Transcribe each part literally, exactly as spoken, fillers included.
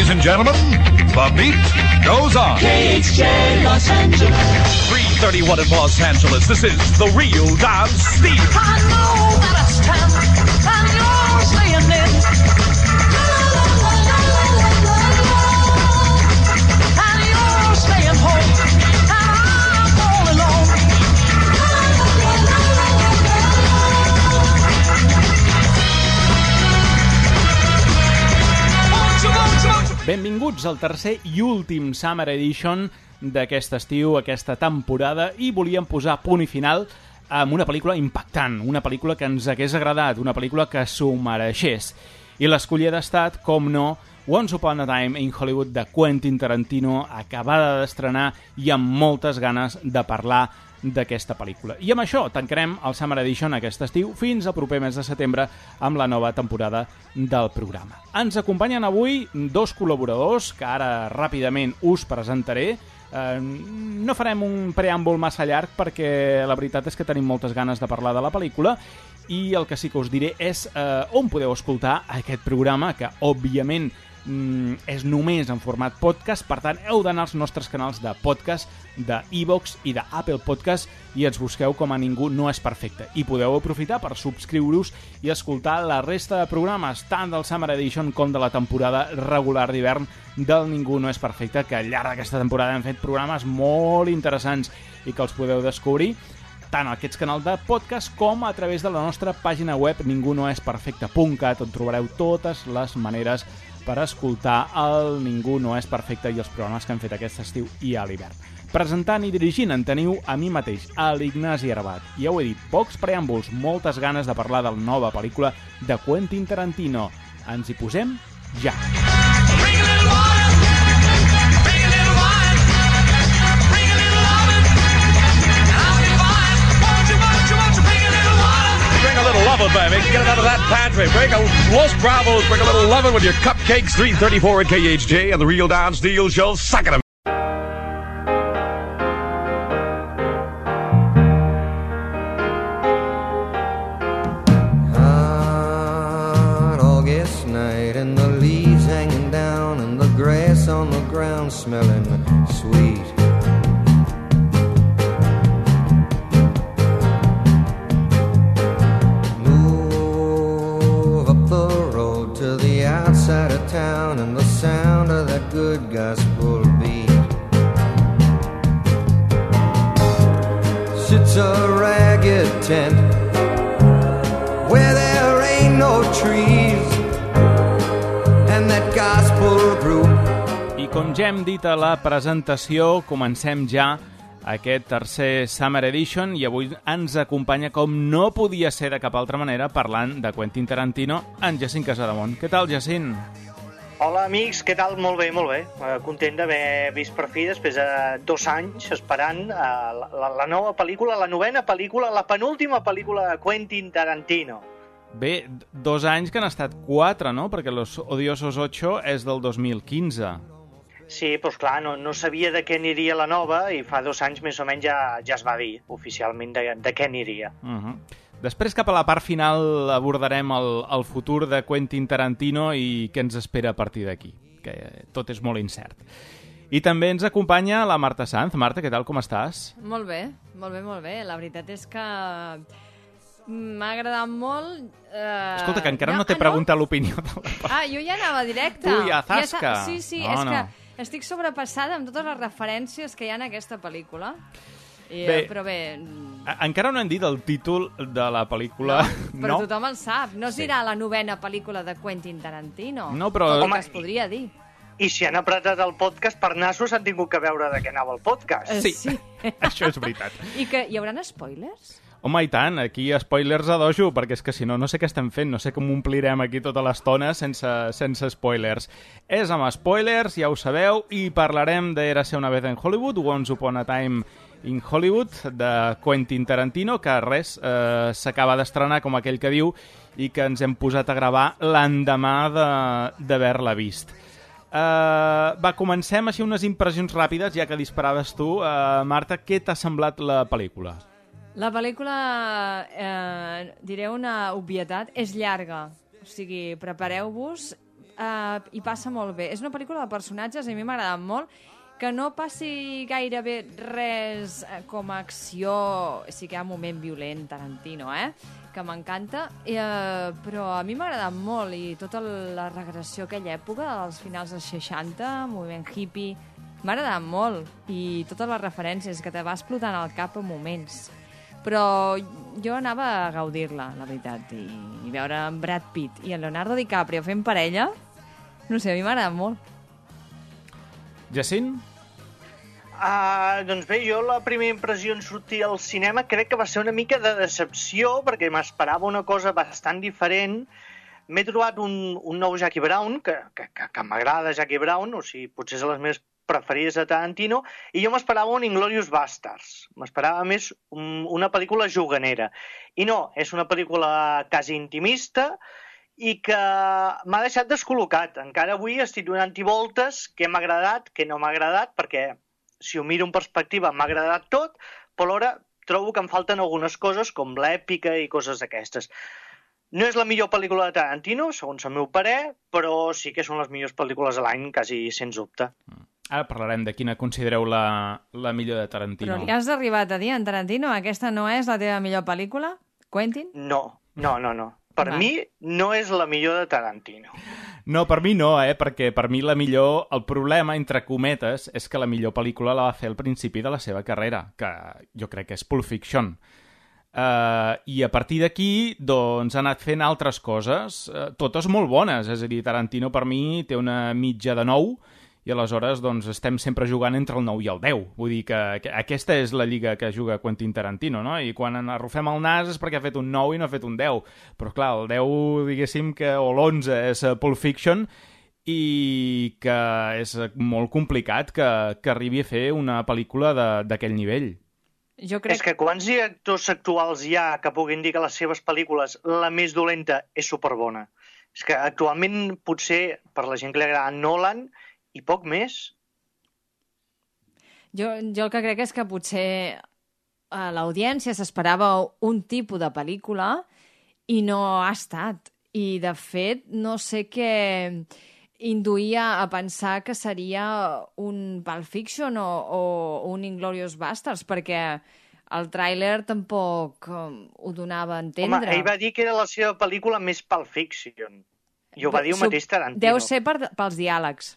Ladies and gentlemen, the beat goes on. K H J Los Angeles. three thirty-one in Los Angeles. This is the real Don Steve. I know that it's ten, and you're staying in. And you're staying home, and I'm all alone. Benvinguts al tercer i últim Summer Edition d'aquest estiu, aquesta temporada, i volíem posar punt i final amb una pel·lícula impactant, una pel·lícula que ens hagués agradat, una pel·lícula que s'ho mereixés. I l'escollida ha estat, com no, Once Upon a Time in Hollywood de Quentin Tarantino, acabada d'estrenar i amb moltes ganes de parlar d'aquesta pel·lícula. I amb això tancarem el Summer Edition aquest estiu fins al proper mes de setembre amb la nova temporada del programa. Ens acompanyen avui dos col·laboradors que ara ràpidament us presentaré. Eh, no farem un preàmbul massa llarg perquè la veritat és que tenim moltes ganes de parlar de la pel·lícula i el que sí que us diré és eh, on podeu escoltar aquest programa, que òbviament Mm, és només en format podcast, per tant heu d'anar als nostres canals de podcast de iVoox i d'Apple Podcast i ens busqueu com a Ningú no és perfecte i podeu aprofitar per subscriure-us i escoltar la resta de programes tant del Summer Edition com de la temporada regular d'hivern del Ningú no és perfecte, que al llarg d'aquesta temporada hem fet programes molt interessants i que els podeu descobrir tant a aquests canals de podcast com a través de la nostra pàgina web ningú no és perfecte punt cat, on trobareu totes les maneres per escoltar el Ningú no és perfecte i els programes que hem fet aquest estiu i a l'hivern. Presentant i dirigint en teniu a mi mateix, a l'Ignasi Arbat. I ja ho he dit, pocs preàmbuls, moltes ganes de parlar de la nova pel·lícula de Quentin Tarantino. Ens hi posem ja. Bring a little water, bring a little wine, bring a little lovin', and I'll be fine. Won't you, won't you, won't you bring a little water? Bring a little lovin', baby. Get it out of that pantry. Bring a Los Bravos. Bring a little lovin' with your cupcakes. three thirty-four at K H J and the Real Don Steele Show. Suck it. Hot August night and the leaves hanging down and the grass on the ground smelling sweet. Outside of town and the sound of that good gospel beat sits a ragged tent where there ain't no trees and that gospel group. I com ja hem dit a la presentació, comencem ja aquest tercer Summer Edition i avui ens acompanya, com no podia ser de cap altra manera, parlant de Quentin Tarantino, en Jacint Casademont. Què tal, Jacint? Hola, amics, què tal? Molt bé, molt bé. Uh, content d'haver vist per fi, després de dos anys, esperant uh, la, la, la nova pel·lícula, la novena pel·lícula, la penúltima pel·lícula de Quentin Tarantino. Bé, dos anys que han estat quatre, no? Perquè Los Odiosos ocho és del dos mil quinze. Sí, doncs clar, no, no sabia de què aniria la nova i fa dos anys més o menys ja, ja es va dir oficialment de, de què aniria. Uh-huh. Després, cap a la part final, abordarem el, el futur de Quentin Tarantino i què ens espera a partir d'aquí, que tot és molt incert. I també ens acompanya la Marta Sanz. Marta, què tal, com estàs? Molt bé, molt bé, molt bé. La veritat és que m'ha agradat molt. Eh... Escolta, que encara no, no t'he ah, preguntat no? l'opinió de la part. Ah, jo ja anava directe. Tu ja, zasca. Ja sí, sí, no, és no. que estic sobrepassada amb totes les referències que hi ha en aquesta pel·lícula. I, bé, però bé... Encara no hem dit el títol de la pel·lícula. No, però no? tothom el sap. No es sí. dirà la novena pel·lícula de Quentin Tarantino. No, però... Tot Home, que es podria dir. I si han apretat el podcast per nassos han tingut que veure de què anava el podcast. Sí, sí. això és veritat. I que hi haurà spoilers? Home, i tant, aquí spoilers a dojo, perquè és que si no, no sé què estem fent, no sé com omplirem aquí tota l'estona sense, sense spoilers. És amb spoilers, ja ho sabeu, i parlarem de Érase una vez en Hollywood, Once Upon a Time in Hollywood, de Quentin Tarantino, que res, eh, s'acaba d'estrenar, com aquell que diu, i que ens hem posat a gravar l'endemà d'haver-la vist. Uh, va, comencem així unes impressions ràpides, ja que disparaves tu. Uh, Marta, què t'ha semblat la pel·lícula? La pel·lícula, eh, diré una obvietat, és llarga. O sigui, prepareu-vos. uh, i passa molt bé. És una pel·lícula de personatges, a mi m'ha agradat molt, que no passi gairebé res eh, com a acció, sí que hi ha un moment violent, Tarantino, eh? que m'encanta, eh, però a mi m'ha agradat molt, i tota la regressió a aquella època, als finals dels seixanta, moviment hippie, m'ha agradat molt, i totes les referències que te va explotant al cap en moments. Però jo anava a gaudir-la, la veritat, i, i veure en Brad Pitt i en Leonardo DiCaprio fent parella, no sé, a mi m'ha agradat molt. Jacint? Uh, doncs bé, jo la primera impressió en sortir al cinema crec que va ser una mica de decepció, perquè m'esperava una cosa bastant diferent. M'he trobat un, un nou Jackie Brown, que, que, que, que m'agrada Jackie Brown, o sigui, potser és de les meves preferides de Tarantino, i jo m'esperava un Inglourious Basterds. M'esperava més un, una pel·lícula juganera. I no, és una pel·lícula quasi intimista, i que m'ha deixat descol·locat. Encara avui estic donant-hi voltes, què m'ha agradat, què no m'ha agradat, perquè si ho miro en perspectiva m'ha agradat tot, però alhora trobo que em falten algunes coses, com l'èpica i coses d'aquestes. No és la millor pel·lícula de Tarantino, segons el meu parer, però sí que són les millors pel·lícules de l'any, quasi sens dubte. Ara parlarem de quina considereu la, la millor de Tarantino. Però li has arribat a dir, en Tarantino, aquesta no és la teva millor pel·lícula, Quentin? No, no, no, no. Per Va. mi no és la millor de Tarantino. No, per mi no, eh? Perquè per mi la millor... El problema, entre cometes, és que la millor pel·lícula la va fer al principi de la seva carrera, que jo crec que és Pulp Fiction. Uh, I a partir d'aquí, doncs, ha anat fent altres coses, uh, totes molt bones. És a dir, Tarantino per mi té una mitja de nou, i aleshores doncs, estem sempre jugant entre el nou i el deu. Vull dir que, que aquesta és la lliga que juga Quentin Tarantino, no? I quan arrufem el nas és perquè ha fet un nou i no ha fet un deu. Però clar, el deu, diguéssim, que, o l'onze és Pulp Fiction, i que és molt complicat que, que arribi a fer una pel·lícula d'aquell nivell. Jo crec... És que quants actors actuals hi ha que puguin dir que les seves pel·lícules, la més dolenta, és superbona? És que actualment, potser, per la gent que li agrada Nolan, i poc més. Jo, jo el que crec és que potser a l'audiència s'esperava un tipus de pel·lícula i no ha estat. I, de fet, no sé què induïa a pensar que seria un Pulp Fiction o, o un Inglourious Basterds, perquè el tràiler tampoc um, ho donava a entendre. Home, ell va dir que era la seva pel·lícula més Pulp Fiction. I ho va dir el mateix Tarantino. Deu ser per, pels diàlegs.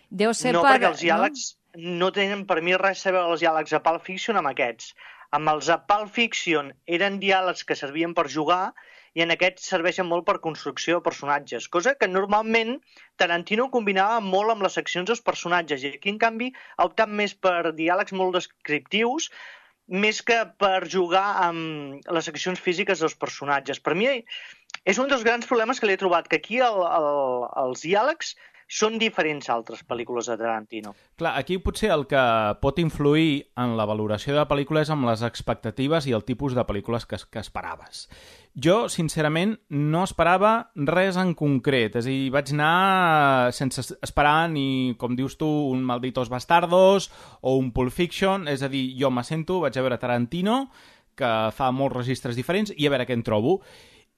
Deu ser no, per... perquè els diàlegs no? no tenen per mi res a veure els diàlegs a Pulp Fiction amb aquests. Amb els a Pulp Fiction eren diàlegs que servien per jugar i en aquests serveixen molt per construcció de personatges, cosa que normalment Tarantino combinava molt amb les seccions dels personatges i aquí, en canvi, ha optat més per diàlegs molt descriptius més que per jugar amb les seccions físiques dels personatges. Per mi és un dels grans problemes que li he trobat, que aquí el, el, els diàlegs són diferents a altres pel·lícules de Tarantino. Clar, aquí potser el que pot influir en la valoració de la pel·lícula és amb les expectatives i el tipus de pel·lícules que, que esperaves. Jo, sincerament, no esperava res en concret. És a dir, vaig anar sense esperar ni, com dius tu, un Malditos Bastardos o un Pulp Fiction. És a dir, jo m'assento, vaig a veure Tarantino, que fa molts registres diferents, i a veure què en trobo.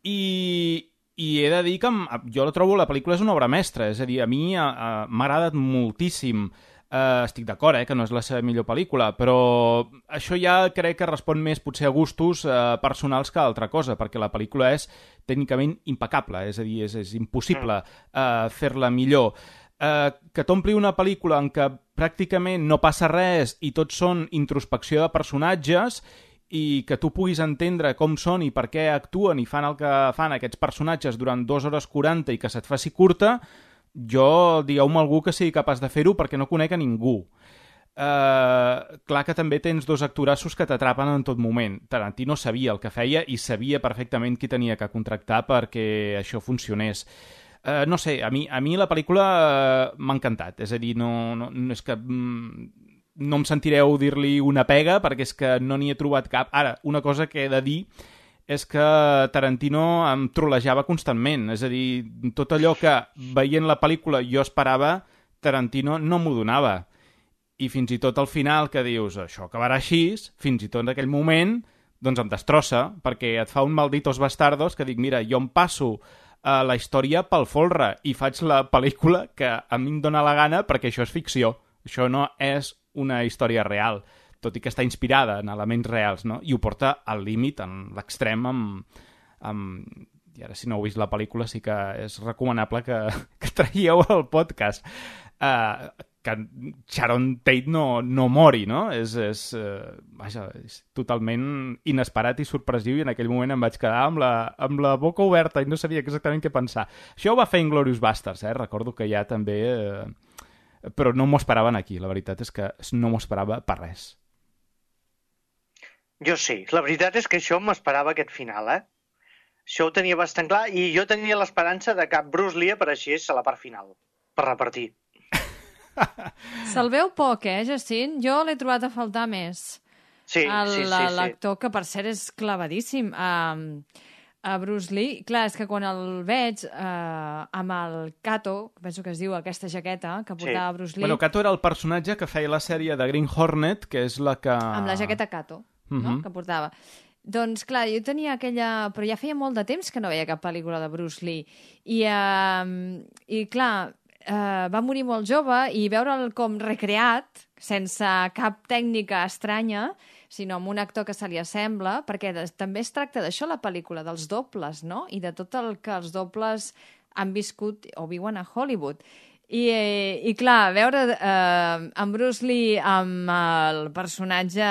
I... I he de dir que jo la trobo, la pel·lícula és una obra mestra, és a dir, a mi uh, m'ha agradat moltíssim. Uh, estic d'acord, eh, que no és la seva millor pel·lícula, però això ja crec que respon més potser a gustos uh, personals que a altra cosa, perquè la pel·lícula és tècnicament impecable, és a dir, és, és impossible uh, fer-la millor. Uh, que t'ompli una pel·lícula en què pràcticament no passa res i tot són introspecció de personatges i que tu puguis entendre com són i per què actuen i fan el que fan aquests personatges durant dues hores quaranta i que se't faci curta, jo, digueu-me algú que sigui capaç de fer-ho perquè no conec a ningú. Uh, clar que també tens dos actorassos que t'atrapen en tot moment. Tarantino sabia el que feia i sabia perfectament qui tenia que contractar perquè això funcionés. Uh, no sé, a mi, a mi la pel·lícula uh, m'ha encantat. És a dir, no, no, no és que... Mm, no em sentireu dir-li una pega, perquè és que no n'hi he trobat cap. Ara, una cosa que he de dir és que Tarantino em trolejava constantment. És a dir, tot allò que veient la pel·lícula jo esperava, Tarantino no m'ho donava. I fins i tot al final que dius, això acabarà així, fins i tot en aquell moment, doncs em destrossa, perquè et fa un Malditos Bastardos que dic, mira, jo em passo uh, la història pel folre i faig la pel·lícula que a mi em dóna la gana perquè això és ficció. Això no és una història real, tot i que està inspirada en elements reals, no? I ho porta al límit, en l'extrem, amb, amb... I ara, si no heu vist la pel·lícula, sí que és recomanable que, que traieu el podcast. Uh, que Sharon Tate no, no mori, no? És, és, uh, vaja, és totalment inesperat i sorpresiu, i en aquell moment em vaig quedar amb la, amb la boca oberta i no sabia exactament què pensar. Això ho va fer Inglourious Basterds, eh? Recordo que ja també... Uh, però no m'ho esperaven aquí, la veritat és que no m'ho esperava per res. Jo sí, la veritat és que això m'esperava aquest final, eh? Això ho tenia bastant clar i jo tenia l'esperança de que Bruce Lee apareixés a la part final, per repartir. Se'l veu poc, eh, Jacint? Jo l'he trobat a faltar més. Sí, El, sí, sí, sí. L'actor, que per cert és clavadíssim, a, a Bruce Lee. Clar, és que quan el veig eh, amb el Kato, penso que es diu aquesta jaqueta que portava Sí. Bruce Lee, Bueno, Kato era el personatge que feia la sèrie de Green Hornet, que és la que... amb la jaqueta Kato, no? Mhm. Que portava. Doncs, clar, jo tenia aquella... Però ja feia molt de temps que no veia cap pel·lícula de Bruce Lee. I, uh, i clar, uh, va morir molt jove i veure'l com recreat, sense cap tècnica estranya, sinó amb un actor que se li assembla, perquè de, també es tracta d'això, la pel·lícula, dels dobles, no? I de tot el que els dobles han viscut o viuen a Hollywood. I, eh, i clar, veure eh, en Bruce Lee amb el personatge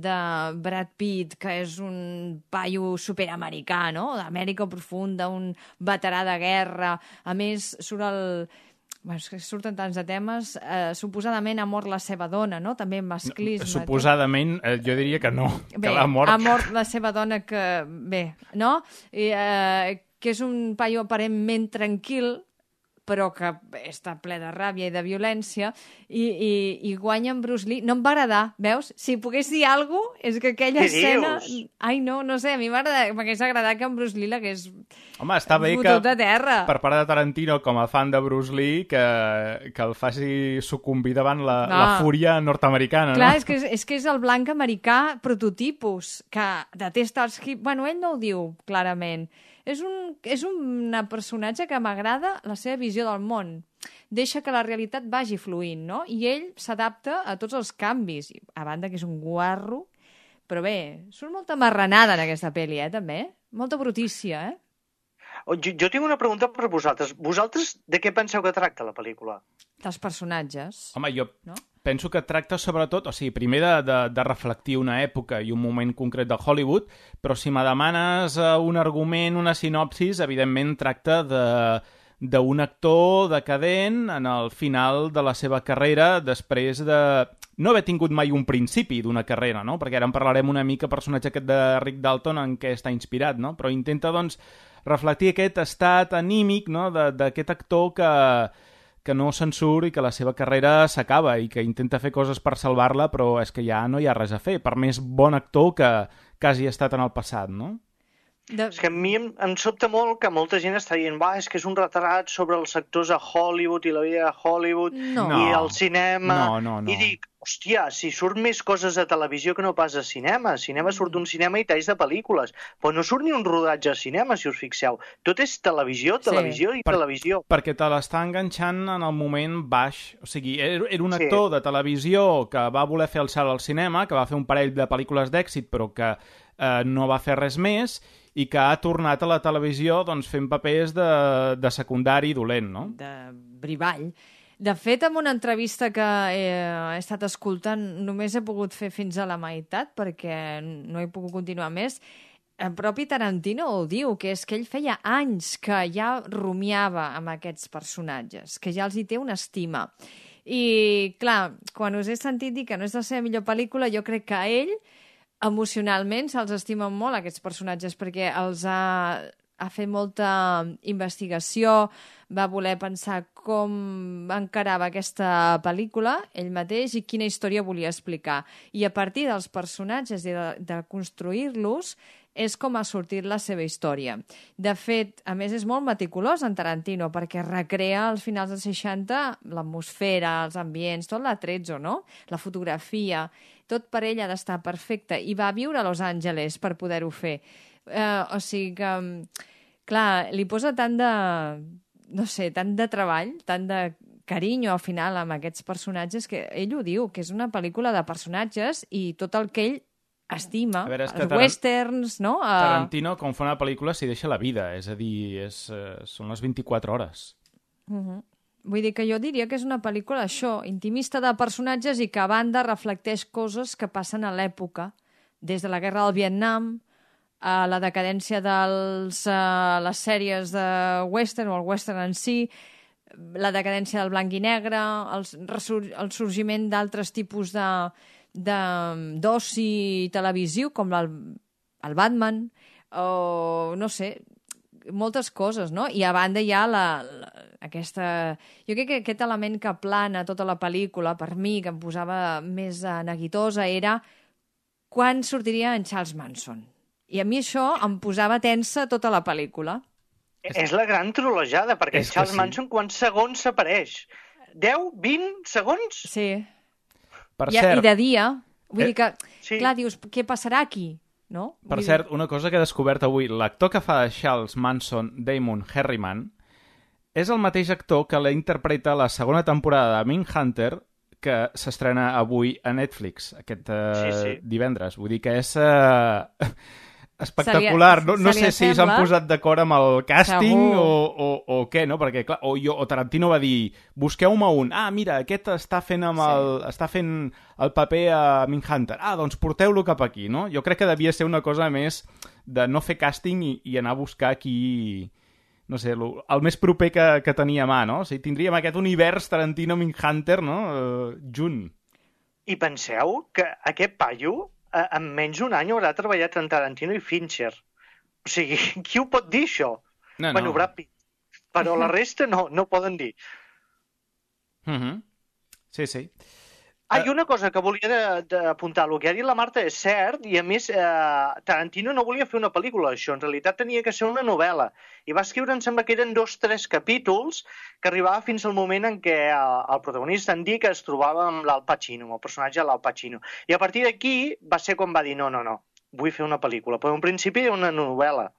de Brad Pitt, que és un paio superamericà, no? D'Amèrica profunda, un veterà de guerra. A més, surt el... Bueno, és que surten tants de temes. Eh, suposadament ha mort la seva dona, no? També masclisme. Suposadament, eh, jo diria que no, Bé, que l'ha mort. ha mort la seva dona que... Bé, no? I, eh, que és un paio aparentment tranquil, però que està ple de ràbia i de violència, i, i, i guanya en Bruce Lee. No em va agradar, veus? Si pogués dir alguna cosa, és que aquella Què escena... dius? Ai, no, no sé, a mi m'hagués agradat que en Bruce Lee l'hagués Home, està bé que, fotut a terra. per part de Tarantino, com a fan de Bruce Lee, que, que el faci sucumbir davant la, No. la fúria nord-americana, Clar, no? és que és, és que és el blanc americà prototipus, que detesta els hip... Bueno, ell no ho diu clarament. És un, és un personatge que m'agrada la seva visió del món. Deixa que la realitat vagi fluint, no? I ell s'adapta a tots els canvis. A banda que és un guarro, però bé, surt molta marranada en aquesta pel·li, eh, també. Molta brutícia, eh? Oh, Jo, jo tinc una pregunta per vosaltres. Vosaltres de què penseu que tracta la pel·lícula? Dels personatges. Home, jo No? penso que tracta sobretot, o sigui, primer de, de, de reflectir una època i un moment concret de Hollywood, però si me demanes uh, un argument, una sinopsis, evidentment tracta de d'un actor decadent en el final de la seva carrera després de no haver tingut mai un principi d'una carrera, no? Perquè ara en parlarem una mica personatge aquest de Rick Dalton en què està inspirat, no? Però intenta, doncs, reflectir aquest estat anímic, no?, de- d'aquest actor que, que no se'n surt i que la seva carrera s'acaba i que intenta fer coses per salvar-la, però és que ja no hi ha res a fer, per més bon actor que, que hagi estat en el passat, no? De... És que a mi em, em sobta molt que molta gent està dient va, és que és un retrat sobre els actors a Hollywood i la vida a Hollywood No. i No. el cinema. No, no, no. I dic, hòstia, si surt més coses a televisió que no pas a cinema. A cinema surt un cinema i talls de pel·lícules. Però no surt ni un rodatge a cinema, si us fixeu. Tot és televisió, Sí. televisió i Per- televisió. Perquè te l'està enganxant en el moment baix. O sigui, era era un Sí. actor de televisió que va voler fer el salt al cinema, que va fer un parell de pel·lícules d'èxit, però que eh, no va fer res més, i que ha tornat a la televisió doncs, fent papers de, de secundari dolent, no? de brivall. De fet, en una entrevista que he, he estat escoltant, només he pogut fer fins a la meitat, perquè no he pogut continuar més. El propi Tarantino ho diu, que és que ell feia anys que ja rumiava amb aquests personatges, que ja els hi té una estima. I, clar, quan us he sentit dir que no és la seva millor pel·lícula, jo crec que a ell, emocionalment, se'ls estimen molt, aquests personatges, perquè els ha, ha fet molta investigació, va voler pensar com encarava aquesta pel·lícula, ell mateix, i quina història volia explicar. I a partir dels personatges i de, de construir-los, és com ha sortit la seva història. De fet, a més, és molt meticulós en Tarantino, perquè recrea als finals dels seixanta l'atmosfera, els ambients, tot l'atrezzo, no? La fotografia, tot per ell ha d'estar perfecte. I va viure a Los Angeles per poder-ho fer. Eh, o sigui que, Clar, li posa tant de... no sé, tant de treball, tant de carinyo al final amb aquests personatges que ell ho diu, que és una pel·lícula de personatges i tot el que ell estima, A veure, és que els Taran- westerns, no? Uh, Tarantino, quan fa una pel·lícula, s'hi deixa la vida, és a dir, és, eh, són les vint-i-quatre hores. Vull dir que jo diria que és una pel·lícula, això, intimista de personatges i que a banda reflecteix coses que passen a l'època, des de la guerra del Vietnam, a la decadència de les sèries de western o el western en si, la decadència del blanc i negre, el, resur el sorgiment d'altres tipus de d'oci televisiu, com el, el Batman, o no sé, moltes coses, no? I a banda hi ha la, la, aquesta... Jo crec que aquest element que plana tota la pel·lícula, per mi, que em posava més eh, neguitosa, era quan sortiria en Charles Manson. I a mi això em posava tensa tota la pel·lícula. És la gran trolejada, perquè És que Charles sí. Manson quants segons s'apareix? deu, vint segons? Sí. Per I, cert, I de dia. Vull Eh, dir que, sí. clar, dius, què passarà aquí? No? per Vull cert, una cosa que he descobert avui, l'actor que fa de Charles Manson, Damon Herriman, és el mateix actor que la interpreta a la segona temporada de Mindhunter, que s'estrena avui a Netflix, aquest uh, Sí, sí. divendres. Vull dir que és uh, espectacular. Se li- No, no se li sé si s'han assembla? posat d'acord amb el càsting Segur. o, o, o què, no? Perquè, clar, o, jo, o Tarantino va dir, busqueu-me un. Ah, mira, aquest està fent, amb Sí. el, està fent el paper a Mindhunter. Ah, doncs porteu-lo cap aquí, no? Jo crec que devia ser una cosa més de no fer càsting i, i anar a buscar qui... no sé, lo, el més proper que, que tenia a mà, no? O sigui, tindríem aquest univers Tarantino-Mindhunter, no? Uh, junt. I penseu que aquest paio, eh, en menys d'un any, haurà treballat en Tarantino i Fincher. O sigui, qui ho pot dir, això? No, Bueno, Brad Pitt. Però la resta no, no poden dir. Uh -huh. Sí, sí. Ah, i una cosa que volia de- d'apuntar, el que ha dit la Marta és cert, i a més eh, Tarantino no volia fer una pel·lícula d'això, en realitat tenia que ser una novel·la, i va escriure, em sembla que eren dos, tres capítols, que arribava fins al moment en què el, el protagonista, en Dick, es trobava amb l'Al Pacino, amb el personatge de l'Al Pacino. I a partir d'aquí va ser quan va dir, no, no, no, vull fer una pel·lícula, però en principi era una novel·la.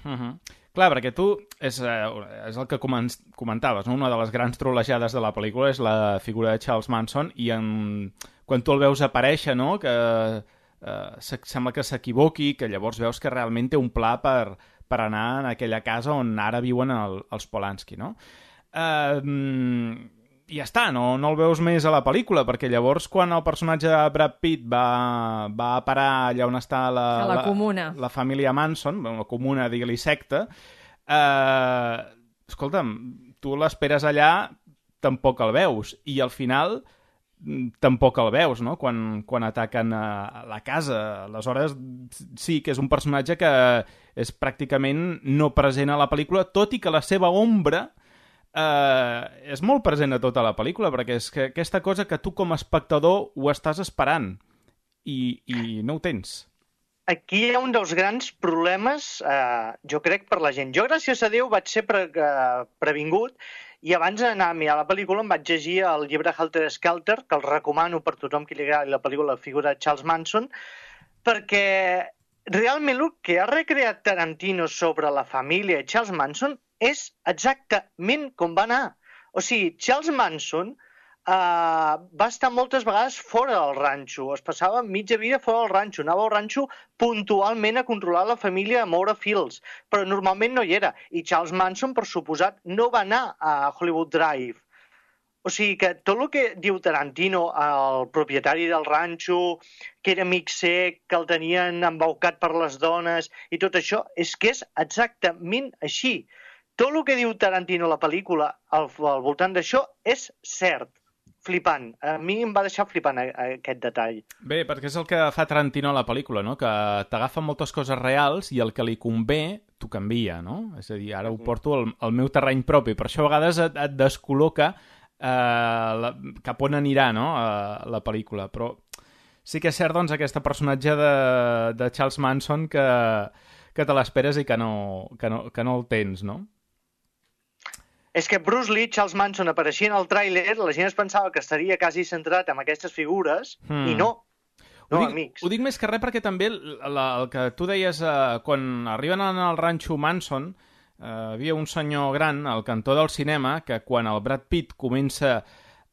Uh -huh. Clar, perquè tu, és, eh, és el que comen comentaves, no? Una de les grans trolejades de la pel·lícula és la figura de Charles Manson i en... quan tu el veus aparèixer, no? Que eh, sembla que s'equivoqui, que llavors veus que realment té un pla per, per anar en aquella casa on ara viuen el, els Polanski, no? Eh, I ja està, no, no el veus més a la pel·lícula, perquè llavors quan el personatge de Brad Pitt va, va a parar allà on està la, A la comuna. la, la família Manson, la comuna, digue-li secta, eh, escolta'm, tu l'esperes allà, tampoc el veus, i al final mm, tampoc el veus, no?, quan, quan ataquen a la casa. Aleshores, sí que és un personatge que és pràcticament no present a la pel·lícula, tot i que la seva ombra eh, és molt present a tota la pel·lícula, perquè és que aquesta cosa que tu com a espectador ho estàs esperant i, i no ho tens. Aquí hi ha un dels grans problemes, eh, jo crec, per la gent. Jo, gràcies a Déu, vaig ser pre eh, previngut i abans d'anar a mirar la pel·lícula em vaig llegir el llibre Helter Skelter, que el recomano per tothom que li agradi la pel·lícula, la figura de Charles Manson, perquè realment el que ha recreat Tarantino sobre la família de Charles Manson és exactament com va anar. O sigui, Charles Manson Uh, va estar moltes vegades fora del ranxo, es passava mitja vida fora del ranxo, anava al ranxo puntualment a controlar la família, a moure fils, però normalment no hi era. I Charles Manson, per suposat, no va anar a Hollywood Drive. O sigui que tot el que diu Tarantino, el propietari del ranxo, que era amic sec, que el tenien embaucat per les dones, i tot això, és que és exactament així. Tot el que diu Tarantino a la pel·lícula al, al voltant d'això és cert. Flipant. A mi em va deixar flipant aquest detall. Bé, perquè és el que fa Tarantino a la pel·lícula, no? Que t'agafa moltes coses reals i el que li convé t'ho canvia, no? És a dir, ara ho porto al, al meu terreny propi. Per això a vegades et, et descol·loca eh, la, cap on anirà, no?, a la pel·lícula. Però sí que és cert, doncs, aquest personatge de, de Charles Manson que, que te l'esperes i que no, que, no, que no el tens, no? És que Bruce Lee, Charles Manson, apareixia en el tràiler, la gent es pensava que estaria quasi centrat en aquestes figures, Hmm. i no. no ho dic, amics. Ho dic més que res perquè també la, el que tu deies eh, quan arriben al ranxo Manson, eh, havia un senyor gran al cantó del cinema que quan el Brad Pitt comença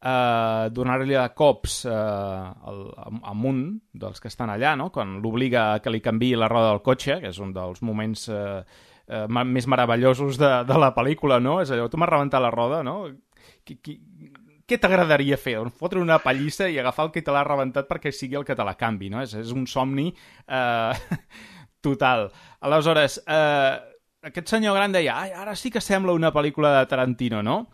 a donar-li a cops eh, al, amb un dels que estan allà, no? Quan l'obliga a que li canviï la roda del cotxe, que és un dels moments eh, eh, més meravellosos de, de la pel·lícula, no? És allò, tu m'has rebentat la roda, no? Qui, qui, què t'agradaria fer? Doncs fotre una pallissa i agafar el que te l'ha rebentat perquè sigui el que te la canvi, no? És, és un somni eh, total. Aleshores, eh, aquest senyor gran deia, ai, ara sí que sembla una pel·lícula de Tarantino, no?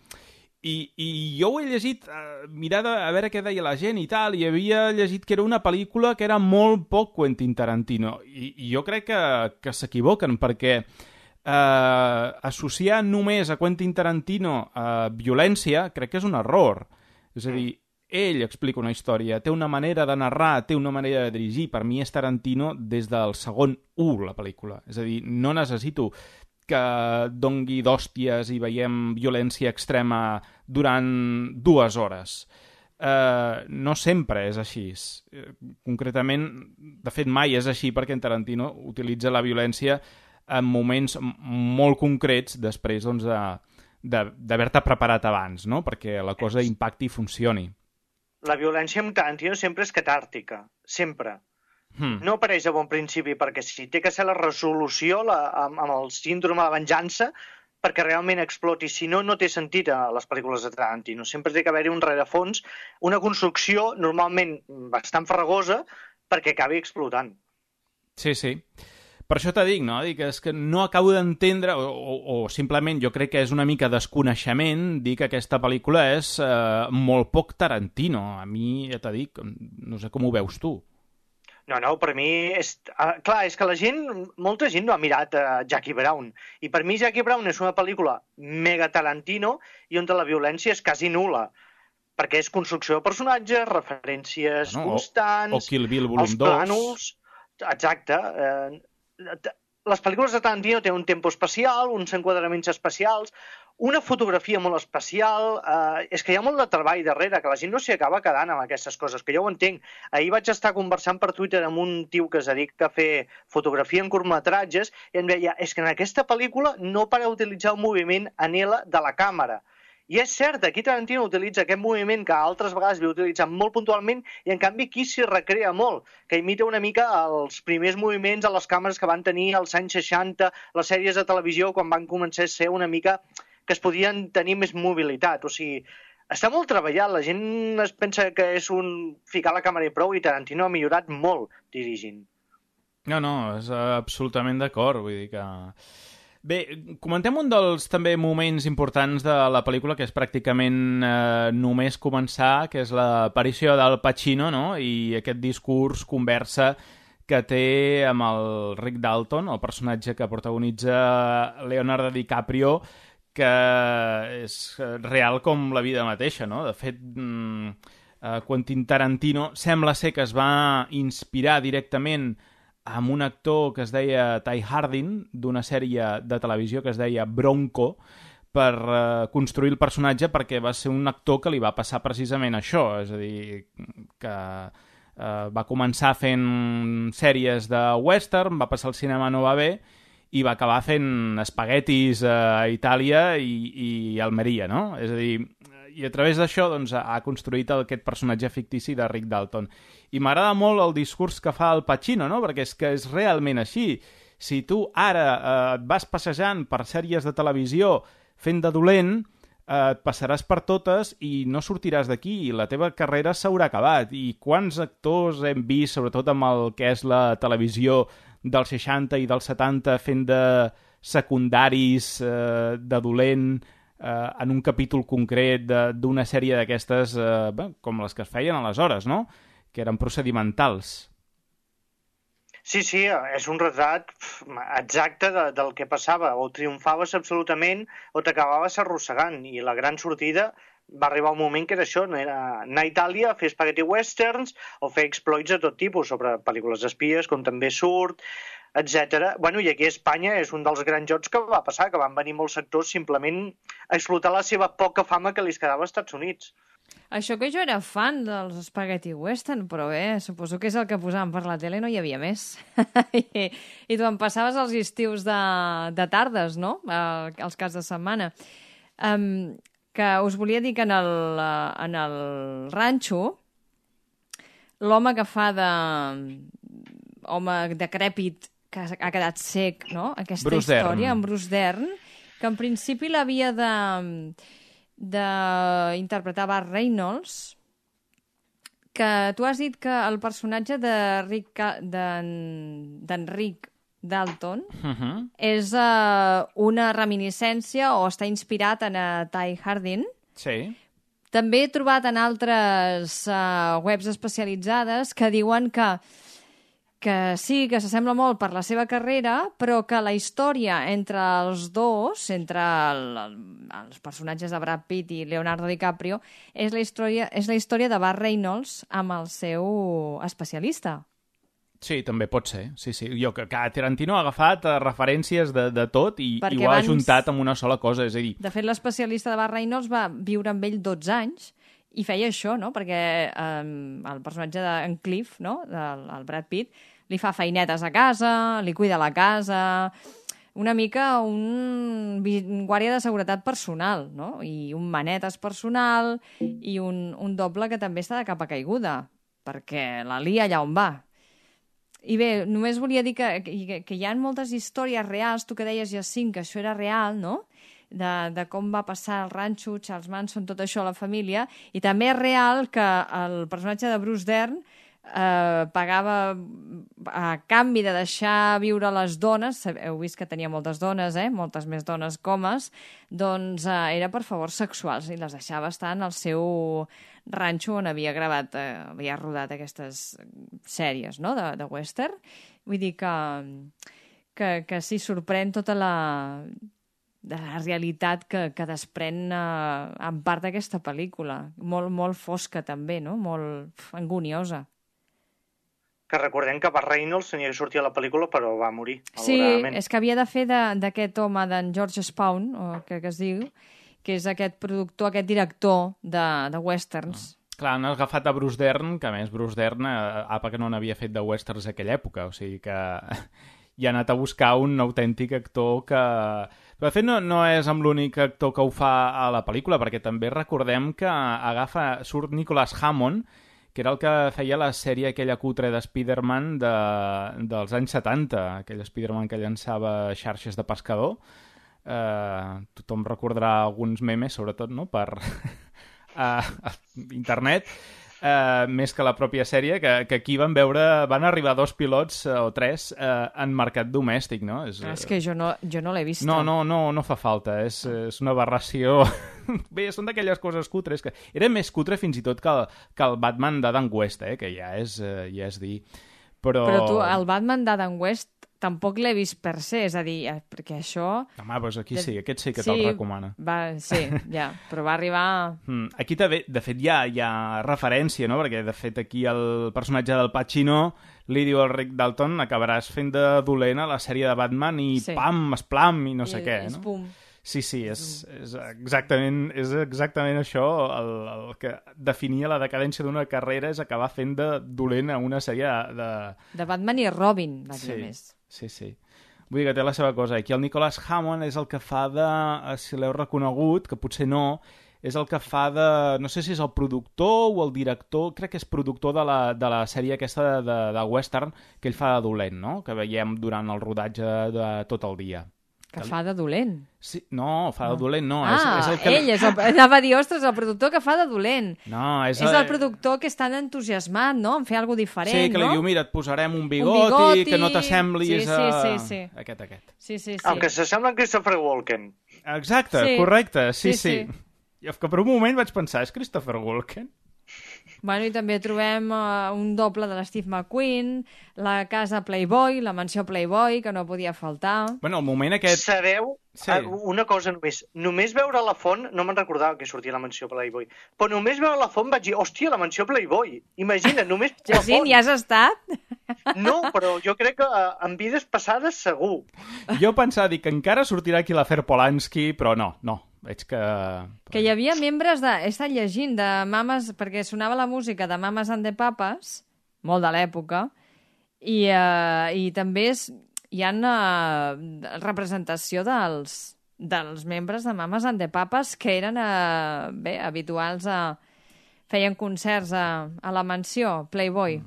I, i jo ho he llegit, eh, mirar de, a veure què deia la gent i tal, i havia llegit que era una pel·lícula que era molt poc Quentin Tarantino. I, i jo crec que, que s'equivoquen, perquè eh, associar només a Quentin Tarantino a violència crec que és un error. És a dir, ell explica una història, té una manera de narrar, té una manera de dirigir. Per mi és Tarantino des del segon u, la pel·lícula. És a dir, no necessito que dongui d'hòsties i veiem violència extrema durant dues hores. Uh, no sempre és així. Concretament, de fet, mai és així perquè en Tarantino utilitza la violència en moments molt concrets després doncs, de, d'haver-te preparat abans, no? Perquè la cosa impacti i funcioni. La violència amb Tarantino sempre és catàrtica, sempre. Hmm. No apareix a bon principi perquè sí, té que ser la resolució la, amb, amb el síndrome de la venjança perquè realment exploti. Si no, no té sentit a les pel·lícules de Tarantino. Sempre té que haver-hi un rerefons, una construcció normalment bastant farragosa perquè acabi explotant. Sí, sí. Per això t'ho dic, no? Dic, és que no acabo d'entendre, o, o, o simplement jo crec que és una mica desconeixement dir que aquesta pel·lícula és eh, molt poc Tarantino. A mi, ja t'ho dic, no sé com ho veus tu. No, no, per mi és... Uh, clar, és que la gent, molta gent no ha mirat uh, Jackie Brown. I per mi Jackie Brown és una pel·lícula mega Tarantino i on la violència és quasi nul·la. Perquè és construcció de personatges, referències no, constants... O, o Kill Bill volum els dos. plànols... Exacte. Uh, les pel·lícules de Tarantino tenen un tempo especial, uns enquadraments especials, una fotografia molt especial, eh, és que hi ha molt de treball darrere, que la gent no s'hi acaba quedant amb aquestes coses, que jo ho entenc. Ahir vaig estar conversant per Twitter amb un tio que es dedica a fer fotografia en curtmetratges i em deia, és que en aquesta pel·lícula no para d'utilitzar el moviment en L de la càmera. I és cert, aquí Tarantino utilitza aquest moviment que altres vegades havia utilitzat molt puntualment i en canvi aquí s'hi recrea molt, que imita una mica els primers moviments a les càmeres que van tenir als anys seixanta, les sèries de televisió quan van començar a ser una mica que es podien tenir més mobilitat. O sigui, està molt treballat, la gent es pensa que és un ficar la càmera i prou i Tarantino ha millorat molt dirigint. No, no, és absolutament d'acord, vull dir que... Bé, comentem un dels també moments importants de la pel·lícula, que és pràcticament eh, només començar, que és l'aparició del Pacino, no? I aquest discurs, conversa que té amb el Rick Dalton, el personatge que protagonitza Leonardo DiCaprio, que és real com la vida mateixa, no? De fet, eh, Quentin Tarantino sembla ser que es va inspirar directament amb un actor que es deia Ty Hardin, d'una sèrie de televisió que es deia Bronco, per eh, construir el personatge, perquè va ser un actor que li va passar precisament això, és a dir, que eh, va començar fent sèries de western, va passar al cinema, no va bé, i va acabar fent espaguetis a Itàlia i, i Almeria, no? És a dir, i a través d'això doncs, ha construït aquest personatge fictici de Rick Dalton. I m'agrada molt el discurs que fa el Pacino, no? Perquè és que és realment així. Si tu ara eh, et vas passejant per sèries de televisió fent de dolent, eh, et passaràs per totes i no sortiràs d'aquí, i la teva carrera s'haurà acabat. I quants actors hem vist, sobretot amb el que és la televisió dels seixanta i dels setanta, fent de secundaris, eh, de dolent, eh, en un capítol concret d'una sèrie d'aquestes, eh, bé, com les que es feien aleshores, no? Que eren procedimentals. Sí, sí, és un retrat exacte de, del que passava. O triomfaves absolutament o t'acabaves arrossegant. I la gran sortida va arribar un moment que era això, no era anar a Itàlia a fer spaghetti westerns o fer exploits de tot tipus sobre pel·lícules d'espies, com també surt, etcètera. Bueno, i aquí a Espanya és un dels grans jocs que va passar, que van venir molts actors simplement a explotar la seva poca fama que li quedava als Estats Units. Això que jo era fan dels spaghetti western, però bé, suposo que és el que posaven per la tele, no hi havia més. I, I tu em passaves els estius de, de tardes, no?, eh, els caps de setmana. Um, que us volia dir que en el, en el ranxo, l'home que fa de... home decrèpit que ha quedat sec, no?, aquesta Bruce història, Dern. en Bruce Dern, que en principi l'havia de... d'interpretar Burt Reynolds, que tu has dit que el personatge de Rick Ca- d'en- d'Enric Dalton Uh -huh. és uh, una reminiscència o està inspirat en uh, Ty Hardin. Sí. També he trobat en altres uh, webs especialitzades que diuen que que sí, que s'assembla molt per la seva carrera, però que la història entre els dos, entre el, el, els personatges de Brad Pitt i Leonardo DiCaprio, és la història, és la història de Burt Reynolds amb el seu especialista. Sí, també pot ser. Sí, sí. Jo que, que Tarantino ha agafat eh, referències de, de tot i, Perquè i ho ha abans- ajuntat amb una sola cosa, és a dir... De fet, l'especialista de Burt Reynolds va viure amb ell dotze anys i feia això, no?, perquè eh, el personatge d'en Cliff, no?, del el Brad Pitt, li fa feinetes a casa, li cuida la casa, una mica un, vi- un guàrdia de seguretat personal, no?, i un manetes personal i un, un doble que també està de capa caiguda, perquè la lia allà on va. I bé, només volia dir que, que, que hi ha moltes històries reals, tu que deies, Jacint, que això era real, no?, de, de com va passar el ranxo, Charles Manson, tot això a la família, i també és real que el personatge de Bruce Dern eh, pagava a canvi de deixar viure les dones, heu vist que tenia moltes dones, eh? moltes més dones comes, doncs eh, era per favors sexuals i les deixava estar en el seu ranxo on havia gravat, eh, havia rodat aquestes sèries, no?, de, de western. Vull dir que, que, que sí, sorprèn tota la, de la realitat que, que desprèn eh, en part d'aquesta pel·lícula. Molt, molt fosca també, no?, molt pf, anguniosa. Que recordem que Burt Reynolds tenia que sortir a la pel·lícula, però va morir, Sí, malauradament. és que havia de fer de- d'aquest home, d'en George Spawn, o que, que es diu, que és aquest productor, aquest director de, de westerns. Clar, han agafat a Bruce Dern, que a més Bruce Dern, eh, apa que no n'havia fet de westerns a aquella època, o sigui que hi ha anat a buscar un autèntic actor que... Però de fet no, no és amb l'únic actor que ho fa a la pel·lícula, perquè també recordem que agafa, surt Nicholas Hammond, que era el que feia la sèrie aquella cutre de Spider-Man de, dels anys setanta, aquell Spider-Man que llançava xarxes de pescador. Eh, tothom recordarà alguns memes, sobretot, no?, per a, a internet, eh, més que la pròpia sèrie, que, que aquí van veure, van arribar dos pilots eh, o tres eh, en mercat domèstic, no? És, És que jo no, jo no l'he vist. no, no, no, no fa falta, és, és una aberració. Bé, són d'aquelles coses cutres que... Era més cutre fins i tot que el, que el Batman d'Adam West, eh, que ja és, eh, ja és dir... Però... Però tu, el Batman d'Adam West tampoc l'he vist per se, és a dir, eh, perquè això... Home, doncs aquí sí, aquest sí que Sí, te'l recomana. Va, sí, ja, però va arribar... Mm, aquí també, de fet, hi ha, hi ha referència, no? Perquè, de fet, aquí el personatge del Pacino li diu al Rick Dalton acabaràs fent de dolent a la sèrie de Batman i Sí. pam, esplam i no sé I, què, és no? pum. Sí, sí, és, és, exactament, és exactament això el, el que definia la decadència d'una carrera, és acabar fent de dolent a una sèrie de... De Batman i Robin, va dir Sí, més. sí, sí. Vull dir que té la seva cosa. Aquí el Nicholas Hammond és el que fa de... eh, Si l'heu reconegut, que potser no, és el que fa de... No sé si és el productor o el director, crec que és productor de la, de la sèrie aquesta de, de, de western que ell fa de dolent, no? Que veiem durant el rodatge de tot el dia. Que fa de dolent. Sí, no, fa de dolent, no. ah, és, és el que... ell és el, anava a dir, ostres, el productor que fa de dolent. No, és, És el productor que està entusiasmat, no?, en fer alguna diferent, Sí, que li no? diu, mira, et posarem un bigoti, Un bigoti, que no t'assemblis sí, a... sí, sí, sí. Aquest, aquest. Sí, sí, sí. Aunque s'assembla en Christopher Walken. Exacte, Sí. correcte, sí, Sí, sí. sí. I que per un moment vaig pensar, és Christopher Walken? Bueno, i també trobem uh, un doble de l'Steve McQueen, la casa Playboy, la mansió Playboy, que no podia faltar. Bueno, el moment aquest... Sabeu? Sí. Ah, una cosa només. Només veure la font, no me'n recordava que sortia la mansió Playboy, però només veure la font vaig dir, hòstia, la mansió Playboy. Imagina't, només la Jacint, font. hi has estat? No, però jo crec que eh, en vides passades segur. Jo pensava dir que encara sortirà aquí l'afer Polanski, però no, no. Veig que... Que hi havia membres de... He estat llegint de Mames, perquè sonava la música de Mames and the Papas, molt de l'època, i, uh, i també és, hi ha uh, representació dels, dels membres de Mames and the Papas que eren uh, bé, habituals a... feien concerts a, a la mansió Playboy.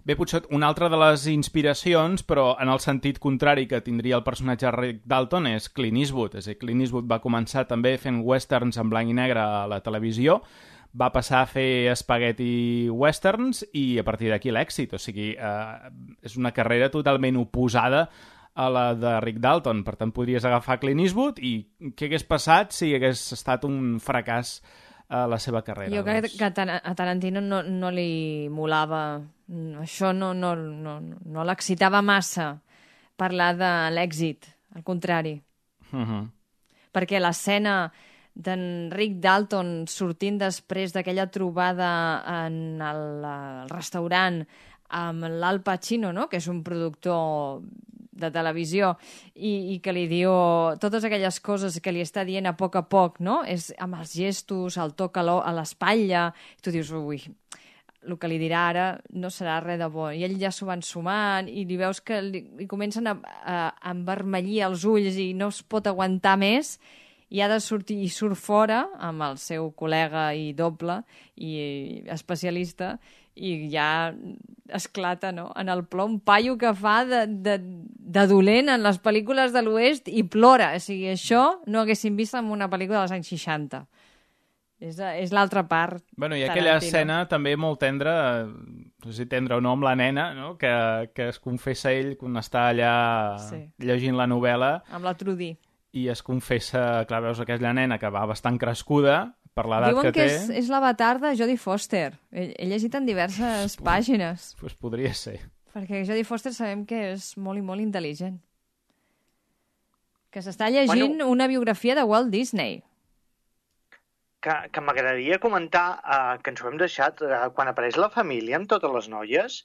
Bé, potser una altra de les inspiracions, però en el sentit contrari que tindria el personatge de Rick Dalton, és Clint Eastwood. És a dir, Clint Eastwood va començar també fent westerns en blanc i negre a la televisió, va passar a fer spaghetti westerns i a partir d'aquí l'èxit. O sigui, eh, és una carrera totalment oposada a la de Rick Dalton. Per tant, podries agafar Clint Eastwood i què hagués passat si hagués estat un fracàs a la seva carrera? Jo crec doncs. que a Tar- a Tarantino no, no li molava, això no, no, no, no l'excitava massa parlar de l'èxit, al contrari. Uh -huh. Perquè l'escena d'en Rick Dalton sortint després d'aquella trobada en el, el restaurant amb l'Al Pacino, no? Que és un productor de televisió, i, i que li diu totes aquelles coses que li està dient a poc a poc, no? És amb els gestos, el toc a l'o- a l'espatlla, i tu dius, ui, el que li dirà ara no serà res de bo. I ell ja s'ho va ensumant i li veus que li, li comencen a, a, a envermellir els ulls i no es pot aguantar més i ha de sortir, i surt fora amb el seu col·lega i doble i especialista, i ja esclata, no?, en el plor, un paio que fa de, de, de dolent en les pel·lícules de l'Oest i plora. O sigui, això no haguéssim vist en una pel·lícula dels anys seixanta. És, és l'altra part. Bueno, i aquella Tarantino. escena també molt tendra, no sé si tendra o no, amb la nena, no? que, que es confessa ell quan està allà Sí. llegint la novel·la Amb la Trudy. i es confessa, clar, veus aquella nena que va bastant crescuda per l'edat Diuen que, que té. és, és l'avatar de Jodie Foster. He, he llegit en diverses pàgines. Pues podria ser. Perquè Jodie Foster sabem que és molt i molt intel·ligent. Que s'està llegint Bueno. una biografia de Walt Disney. Que, que m'agradaria comentar, eh, que ens ho hem deixat, eh, quan apareix la família amb totes les noies,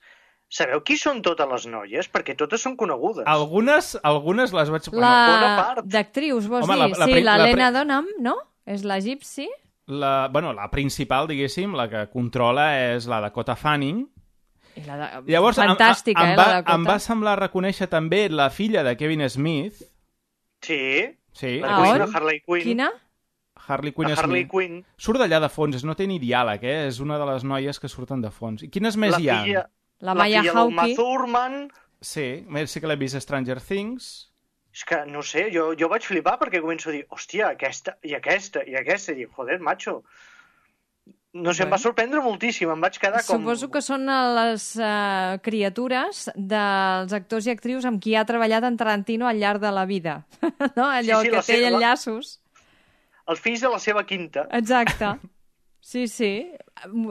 sabeu qui són totes les noies? Perquè totes són conegudes. Algunes, algunes les vaig... bona La part. d'actrius, vols Home, dir? la- la sí, pri- la l'Helena pri- Dunham, no? És la Gypsy. La, bueno, la principal, diguéssim, la que controla és la Dakota Fanning. I la de... Llavors, em- Fantàstica, em, eh, va, la Dakota. em va semblar reconèixer també la filla de Kevin Smith. Sí, Sí, la Ah, Queen, on? la Harley Quinn. Quina? Harley Quinn La Harley Smith. Quinn. Surt d'allà de fons, no té ni diàleg, eh? És una de les noies que surten de fons. I quines més La hi ha? filla, La la Maya filla d'Uma Hawke. Thurman. Sí, sí que l'he vist a Stranger Things. És que, no sé, jo, jo vaig flipar perquè començo a dir, hòstia, aquesta, i aquesta, i aquesta, i dic, joder, macho. No sé, em va sorprendre moltíssim, em vaig quedar com... Suposo que són les uh, criatures dels actors i actrius amb qui ha treballat en Tarantino al llarg de la vida. No? Allò Sí, sí, que la té seva- enllaços. Els fills de la seva quinta. Exacte. Sí, sí.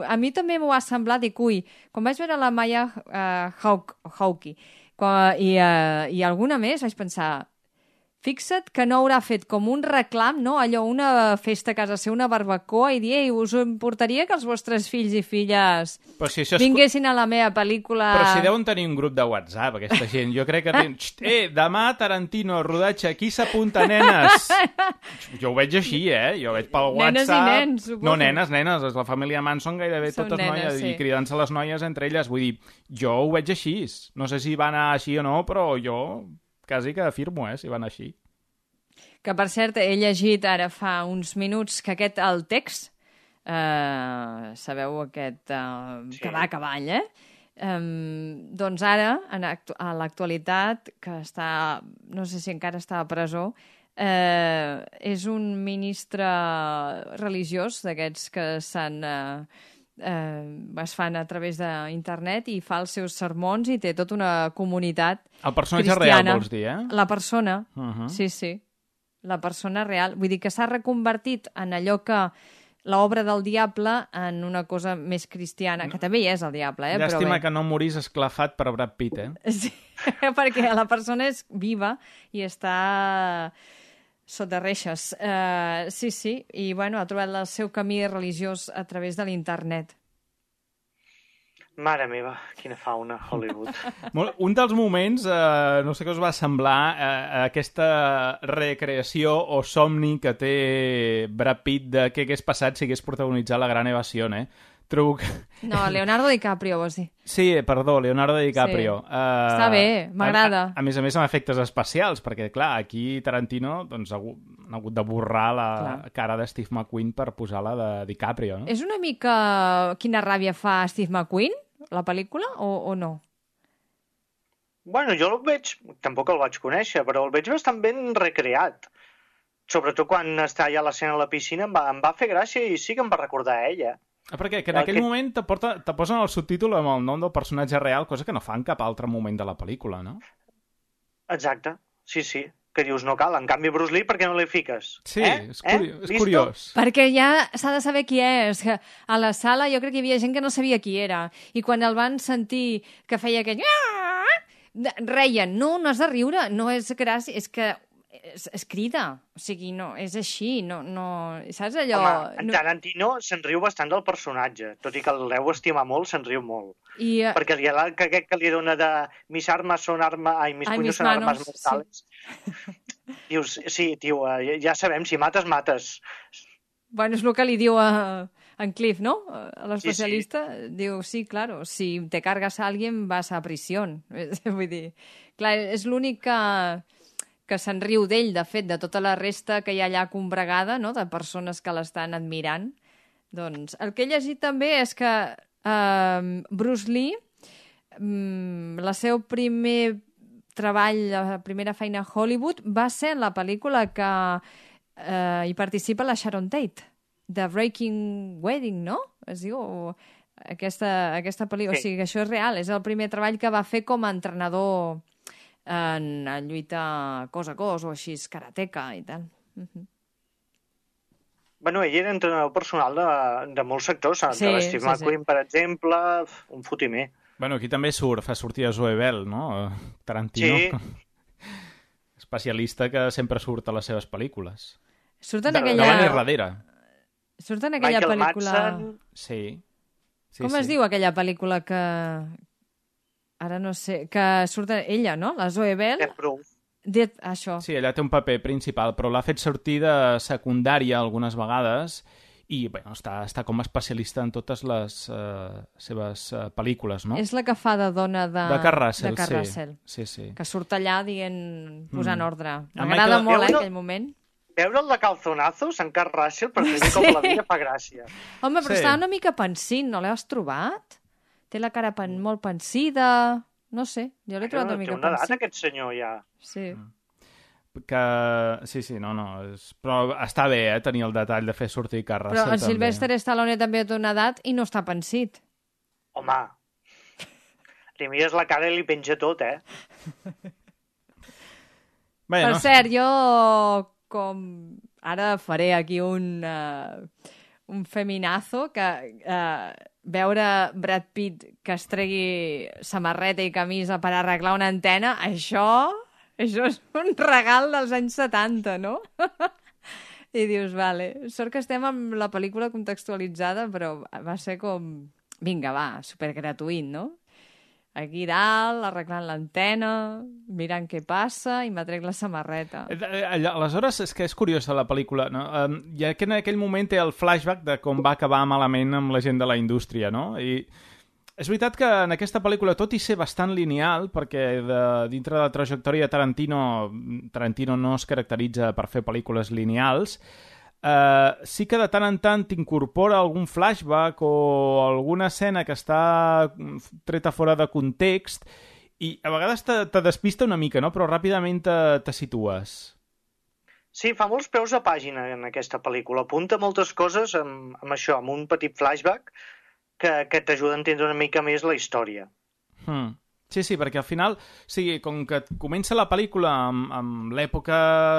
A mi també m'ho ha semblat, dic, ui, quan vaig veure la Maya uh, Hawke, Hawke quan, i, uh, i alguna més, vaig pensar, fixa't que no haurà fet com un reclam, no? Allò, una festa a casa seva, una barbacoa, i dir, ei, us importaria que els vostres fills i filles Però si això és... vinguessin a la meva pel·lícula... Però si deuen tenir un grup de WhatsApp, aquesta gent. Jo crec que... Ten... Xt, eh, demà Tarantino, rodatge, qui s'apunta, nenes? Jo ho veig així, eh? Jo ho veig pel Nenes i WhatsApp... nens, suposo. No, nenes, nenes. És la família Manson gairebé Són totes nenes, noies sí. i cridant-se les noies entre elles. Vull dir, jo ho veig així. No sé si va anar així o no, però jo quasi que afirmo, eh, si va anar així. Que, per cert, he llegit ara fa uns minuts que aquest, el text, eh, sabeu aquest eh, Sí. que va a cavall, eh? Um, doncs ara, en actu a l'actualitat, que està, no sé si encara està a presó, eh, és un ministre religiós d'aquests que s'han... Eh, eh, es fan a través d'internet i fa els seus sermons i té tota una comunitat El personatge cristiana. real, vols dir, eh? La persona, Uh -huh. sí, sí. La persona real. Vull dir que s'ha reconvertit en allò que l'obra del diable en una cosa més cristiana, que també hi és el diable, eh? Llàstima Però bé. que no morís esclafat per Brad Pitt, eh? Sí, perquè la persona és viva i està sota reixes. Uh, sí, sí, i bueno, ha trobat el seu camí religiós a través de l'internet. Mare meva, quina fauna, Hollywood. Molt- Un dels moments, eh, no sé què us va semblar, eh, aquesta recreació o somni que té Brad Pitt de què hagués passat si hagués protagonitzat La Gran Evasió, eh? Trobo que... No, Leonardo DiCaprio, vols dir. Sí, perdó, Leonardo DiCaprio. Sí. Uh, Està bé, m'agrada. A, a, a més a més amb efectes especials, perquè, clar, aquí Tarantino doncs, ha, hagut, ha hagut de borrar la Clar. cara de Steve McQueen per posar la de DiCaprio, no? És una mica quina ràbia fa Steve McQueen, la pel·lícula, o, o no? Bueno, jo el veig, tampoc el vaig conèixer, però el veig bastant ben recreat. Sobretot quan està allà a l'escena a la piscina, em va, em va fer gràcia i sí que em va recordar a ella. Ah, perquè que en aquell Aquest- moment te, porta, te posen el subtítol amb el nom del personatge real, cosa que no fa en cap altre moment de la pel·lícula, no? Exacte, sí, sí. Que dius, no cal. En canvi, Bruce Lee, per què no li fiques? Sí, eh? és, curi eh? és Visto? curiós. Perquè ja s'ha de saber qui és. Que a la sala jo crec que hi havia gent que no sabia qui era. I quan el van sentir que feia aquell... reien. No, no has de riure. No és gràcia. És que es, es crida. O sigui, no, és així. No, no... Saps allò? Home, en no... Tarantino se'n riu bastant del personatge. Tot i que el deu estimar molt, se'n riu molt. I, uh, Perquè li ha que aquest que li dona de mis armes són armes... Ai, mis Ai, puños mis són manos, armes mortales. Dius, sí, tio, eh, ja sabem, si mates, mates. Bueno, és el que li diu a, en Cliff, no? A l'especialista. Sí, Diu, sí, claro, si te cargas a alguien vas a prisión. Vull dir, clar, és l'únic que, que se'n riu d'ell, de fet, de tota la resta que hi ha allà combregada, no?, de persones que l'estan admirant. Doncs el que he llegit també és que eh, Bruce Lee, mm, la seu primer treball, la primera feina a Hollywood, va ser en la pel·lícula que eh, hi participa la Sharon Tate, de Breaking Wedding, no? Es diu... O aquesta, aquesta pel·lícula. Sí. O sigui, que això és real. És el primer treball que va fer com a entrenador en, en lluita cos a cos o així, karateka i tal. Uh -huh. Bueno, ell era entrenador personal de, de molts sectors. Sí, de l'Steve sí, McQueen, sí. per exemple, un fotimer. Bueno, aquí també surt, fa sortir a Zoe Bell, no? Tarantino. Sí. Especialista que sempre surt a les seves pel·lícules. Surt en De, aquella... davant i darrere. Surt en aquella Michael pel·lícula... Madsen. Sí. sí Com sí. es diu aquella pel·lícula que... Ara no sé... Que surt ella, no? La Zoe Bell. Death Proof. Death... Això. Sí, ella té un paper principal, però l'ha fet sortir de secundària algunes vegades i bueno, està, està com a especialista en totes les uh, seves uh, pel·lícules, no? És la que fa de dona de... De Kurt Russell, de Kurt sí. Russell. Sí, sí. Que surt allà dient... posant Mm. ordre. El M'agrada Michael- molt, eh, Veure- aquell moment. Veure'l de calzonazos en Kurt Russell per primer cop a la vida fa gràcia. Home, però Sí. està una mica pensint, no l'has trobat? Té la cara pen molt pensida... No sé, jo l'he trobat una Té mica una edat, pensida. aquest senyor, ja. Sí. Que... Sí, sí, no, no. És... Però està bé, eh, tenir el detall de fer sortir Kurt Però Russell, en també. Sylvester Stallone també té una edat i no està pensit. Home, li mires la cara i li penja tot, eh? Bé, Per no? cert, jo com... Ara faré aquí un, uh, un feminazo que uh, veure Brad Pitt que es tregui samarreta i camisa per arreglar una antena, això, això és un regal dels anys setanta, no? I dius, vale, sort que estem amb la pel·lícula contextualitzada, però va ser com... Vinga, va, supergratuït, no? Aquí dalt, arreglant l'antena, mirant què passa i m'atrec la samarreta. Eh, eh, allò- Aleshores, és que és curiosa la pel·lícula, no? Um, ja que en aquell moment té el flashback de com va acabar malament amb la gent de la indústria, no? I és veritat que en aquesta pel·lícula, tot i ser bastant lineal, perquè de, dintre de la trajectòria de Tarantino, Tarantino no es caracteritza per fer pel·lícules lineals, Uh, sí que de tant en tant t'incorpora algun flashback o alguna escena que està treta fora de context i a vegades te, te despista una mica, no? Però ràpidament te, te situes. Sí, fa molts peus a pàgina en aquesta pel·lícula. Apunta moltes coses amb, amb això, amb un petit flashback que, que t'ajuda a entendre una mica més la història. Hmm. Sí, sí, perquè al final, sí, com que comença la pel·lícula amb, amb l'època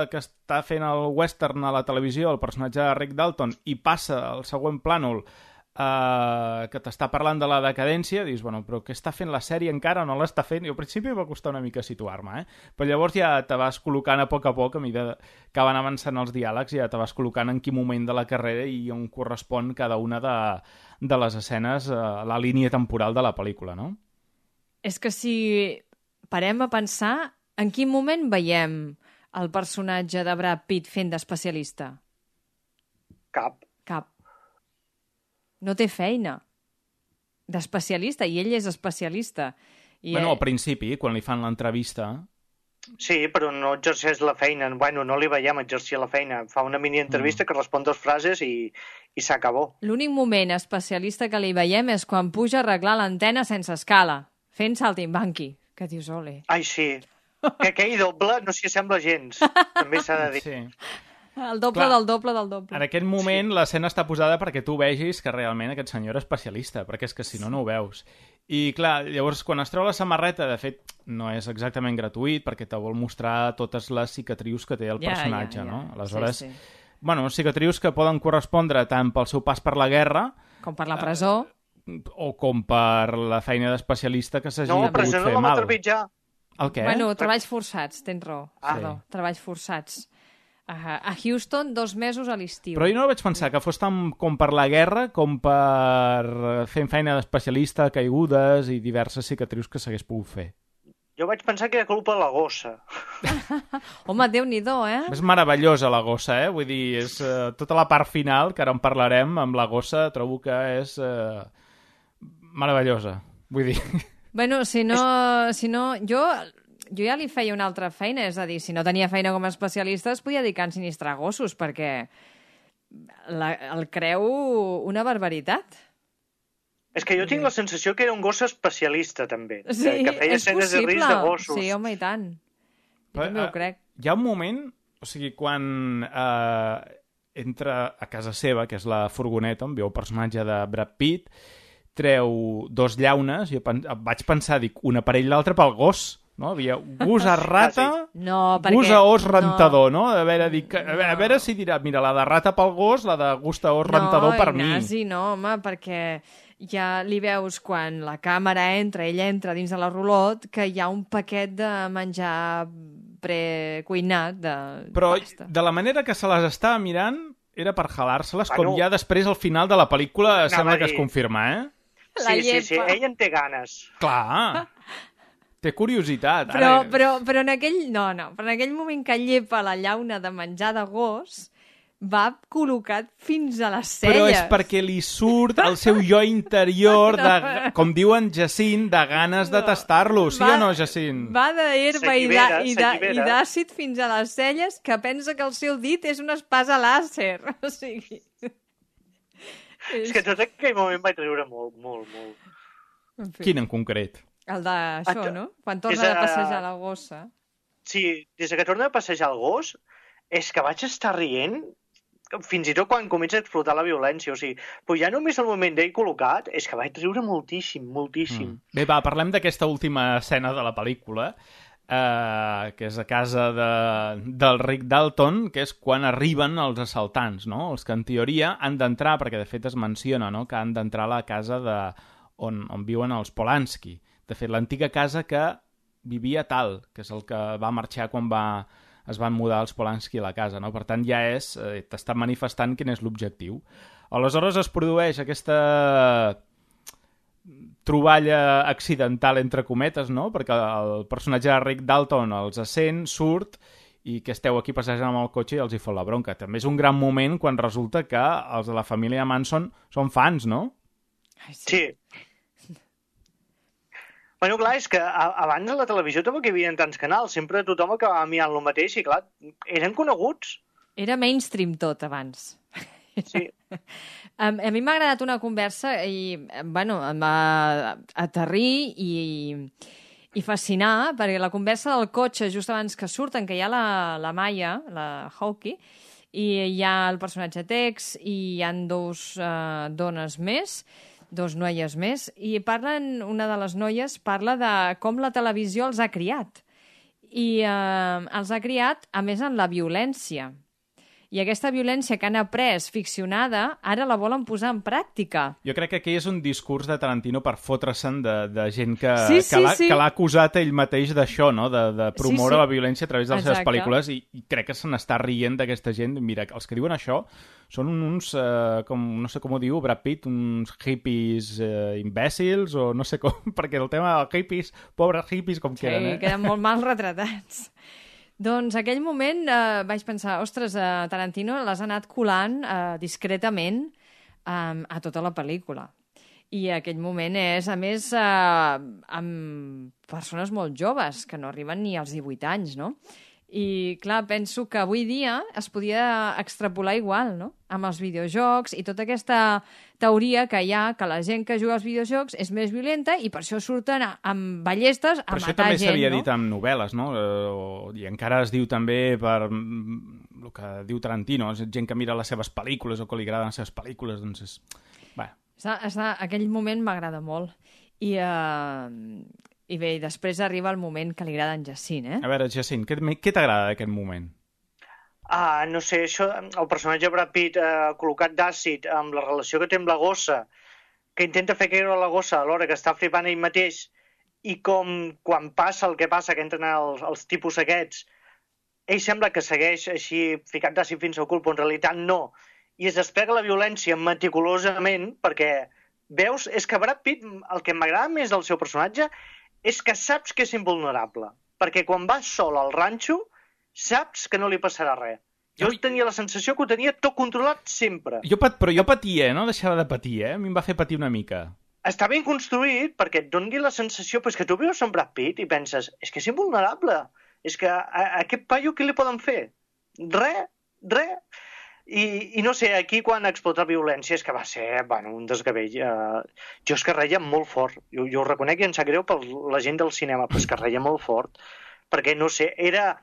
que està fent el western a la televisió, el personatge de Rick Dalton, i passa al següent plànol Uh, que t'està parlant de la decadència, dius, bueno, però què està fent la sèrie encara? No l'està fent? I al principi em va costar una mica situar-me, eh? Però llavors ja te vas col·locant a poc a poc, a mesura que van avançant els diàlegs, ja te vas col·locant en quin moment de la carrera i on correspon cada una de, de les escenes a la línia temporal de la pel·lícula, no? És que si parem a pensar, en quin moment veiem el personatge de Brad Pitt fent d'especialista? Cap. Cap. No té feina d'especialista, i ell és especialista. I Bueno, eh, al principi, quan li fan l'entrevista... Sí, però no exerceix la feina. Bueno, no li veiem exercir la feina. Fa una mini-entrevista mm. que respon dos frases i, i s'acabó. L'únic moment especialista que li veiem és quan puja a arreglar l'antena sense escala, fent saltimbanqui, que dius, ole. Ai, sí. Que aquell doble no s'hi assembla gens. També s'ha de dir. Sí. El doble Clar, del doble del doble. En aquest moment sí. L'escena està posada perquè tu vegis que realment aquest senyor era especialista, perquè és que si no, no ho veus. I clar, llavors quan es treu la samarreta, de fet, no és exactament gratuït perquè te vol mostrar totes les cicatrius que té el Ja, personatge, ja, ja. no? Aleshores, Sí, sí. bueno, cicatrius que poden correspondre tant pel seu pas per la guerra Com per la presó. o com per la feina d'especialista que s'hagi No, pogut però fer no la va mal. trepitjar. El què? Bueno, treballs forçats, tens raó. Ah. Perdó, treballs forçats. A, a Houston, dos mesos a l'estiu. Però jo no vaig pensar que fos tant com per la guerra com per fer feina d'especialista, caigudes i diverses cicatrius que s'hagués pogut fer. Jo vaig pensar que era culpa de la gossa. Home, Déu-n'hi-do, eh? És meravellosa la gossa, eh? Vull dir, és uh, tota la part final, que ara en parlarem, amb la gossa, trobo que és uh, meravellosa. Vull dir... Bueno, si no... Si no jo, jo ja li feia una altra feina, és a dir, si no tenia feina com a especialista es podia dedicar a ensinistrar gossos, perquè la, el creu una barbaritat. És que jo tinc la sensació que era un gos especialista, també. Sí, que, que feia és escenes de possible. risc de gossos. Sí, home, i tant. Jo Però, també ho eh, crec. Hi ha un moment, o sigui, quan eh, entra a casa seva, que és la furgoneta, on viu el personatge de Brad Pitt, treu dos llaunes, i pen vaig pensar, dic, una per ell, l'altra pel gos, no? Havia gos a rata, No, perquè... gos a os rentador, no? A veure, dic, a, veure, a veure si dirà, mira, la de rata pel gos, la de gust a os rentador per mi. No, Ignasi, no, home, perquè ja li veus quan la càmera entra, ell entra dins de la rulot, que hi ha un paquet de menjar precuinat de Però pasta. de la manera que se les estava mirant era per jalar-se-les, Bueno, com ja després al final de la pel·lícula anava sembla a que es dir. confirma, eh? La Sí, sí, sí, llepa. ell en té ganes. Clar, té curiositat. Però, Ara... però, però en aquell... No, no, però en aquell moment que llepa la llauna de menjar de gos, va col·locat fins a les celles. Però és perquè li surt el seu jo interior, de, com diuen Jacint, de ganes de tastar-lo. Sí o no, Jacint? Va d'herba i S'allibera, d'a- i d'a- i s'allibera. d'àcid fins a les celles, que pensa que el seu dit és una espasa làser. O sigui... És que tot aquell moment vaig riure molt, molt, molt. En fi. Quin en concret? El d'això, Ah, no? Quan torna és de a- passejar la gossa. Sí, des que torna a passejar el gos, és que vaig estar rient fins i tot quan comença a explotar la violència. O sigui, però ja només el moment d'ell col·locat, és que vaig riure moltíssim, moltíssim. Mm. Bé, va, parlem d'aquesta última escena de la pel·lícula, eh, que és a casa de, del Rick Dalton, que és quan arriben els assaltants, no? Els que en teoria han d'entrar, perquè de fet es menciona, no?, que han d'entrar a la casa de, on, on viuen els Polanski. De fet, l'antiga casa que vivia Tal, que és el que va marxar quan va, es van mudar els Polanski a la casa, no? Per tant, ja és, eh, t'està manifestant quin és l'objectiu. Aleshores es produeix aquesta troballa accidental, entre cometes, no? Perquè el personatge de Rick Dalton els sent, surt, i que esteu aquí passejant amb el cotxe i els hi fot la bronca. També és un gran moment quan resulta que els de la família Manson són fans, no? Ai, sí. Sí. Bueno, clar, és que a- abans a la televisió tampoc hi havia tants canals. Sempre tothom acabava mirant el mateix i, clar, eren coneguts. Era mainstream tot, abans. Sí. A, a mi m'ha agradat una conversa i, bueno, em va aterrir i, i fascinar, perquè la conversa del cotxe, just abans que surten, que hi ha la, la Maya, la Hawkeye, i hi ha el personatge Tex, i hi han dos uh, dones més, dos noies més, i parlen, una de les noies parla de com la televisió els ha criat. I uh, els ha criat, a més, en la violència. I aquesta violència que han après ficcionada, ara la volen posar en pràctica. Jo crec que aquí és un discurs de Tarantino per fotre-se'n de, de gent que, Sí, que sí, l'ha sí. que l'ha acusat ell mateix d'això, no? De, de promoure Sí, sí. la violència a través de les seves Exacte. pel·lícules i, i crec que se n'està rient d'aquesta gent. Mira, els que diuen això són uns, eh, com, no sé com ho diu Brad Pitt, uns hippies eh, imbècils o no sé com, perquè el tema dels hippies, pobres hippies com Sí, queden, eh? queden molt mal retratats. Doncs aquell moment eh, vaig pensar, ostres, eh, Tarantino les ha anat colant eh, discretament eh, a tota la pel·lícula. I aquell moment és, a més, eh, amb persones molt joves, que no arriben ni als divuit anys, no? I, clar, penso que avui dia es podia extrapolar igual, no? Amb els videojocs i tota aquesta teoria que hi ha que la gent que juga als videojocs és més violenta i per això surten a- amb ballestes a Però això matar també gent, s'havia no? dit amb novel·les, no? Eh, o- I encara es diu també per mm, el que diu Tarantino, és gent que mira les seves pel·lícules o que li agraden les seves pel·lícules, doncs és... Bé, Està, està, aquell moment m'agrada molt. I, uh, I bé, i després arriba el moment que li agrada en Jacint, eh? a veure, Jacint, què, què t'agrada d'aquest moment? Ah, no sé, això, el personatge Brad Pitt eh, col·locat d'àcid amb la relació que té amb la gossa, que intenta fer caure la gossa alhora que està flipant ell mateix, i com quan passa el que passa, que entren els, els tipus aquests, ell sembla que segueix així ficat d'àcid fins al cul, però en realitat no. I es desplega la violència meticulosament perquè, veus, és que Brad Pitt, el que m'agrada més del seu personatge és que saps que és invulnerable, perquè quan va sol al ranxo saps que no li passarà res. Jo Ai. tenia la sensació que ho tenia tot controlat sempre. Jo pat, però jo patia, eh? No deixava de patir, eh? A mi em va fer patir una mica. Està ben construït perquè et doni la sensació pues, que tu veus en Brad Pitt i penses, és que és invulnerable, és que a, a aquest paio què li poden fer? Res, res. I, I no sé, aquí quan explota la violència és que va ser, bueno, un desgavell. Uh, jo és que reia molt fort. Jo, jo ho reconec i em sap greu per la gent del cinema, però és que reia molt fort. Perquè, no sé, era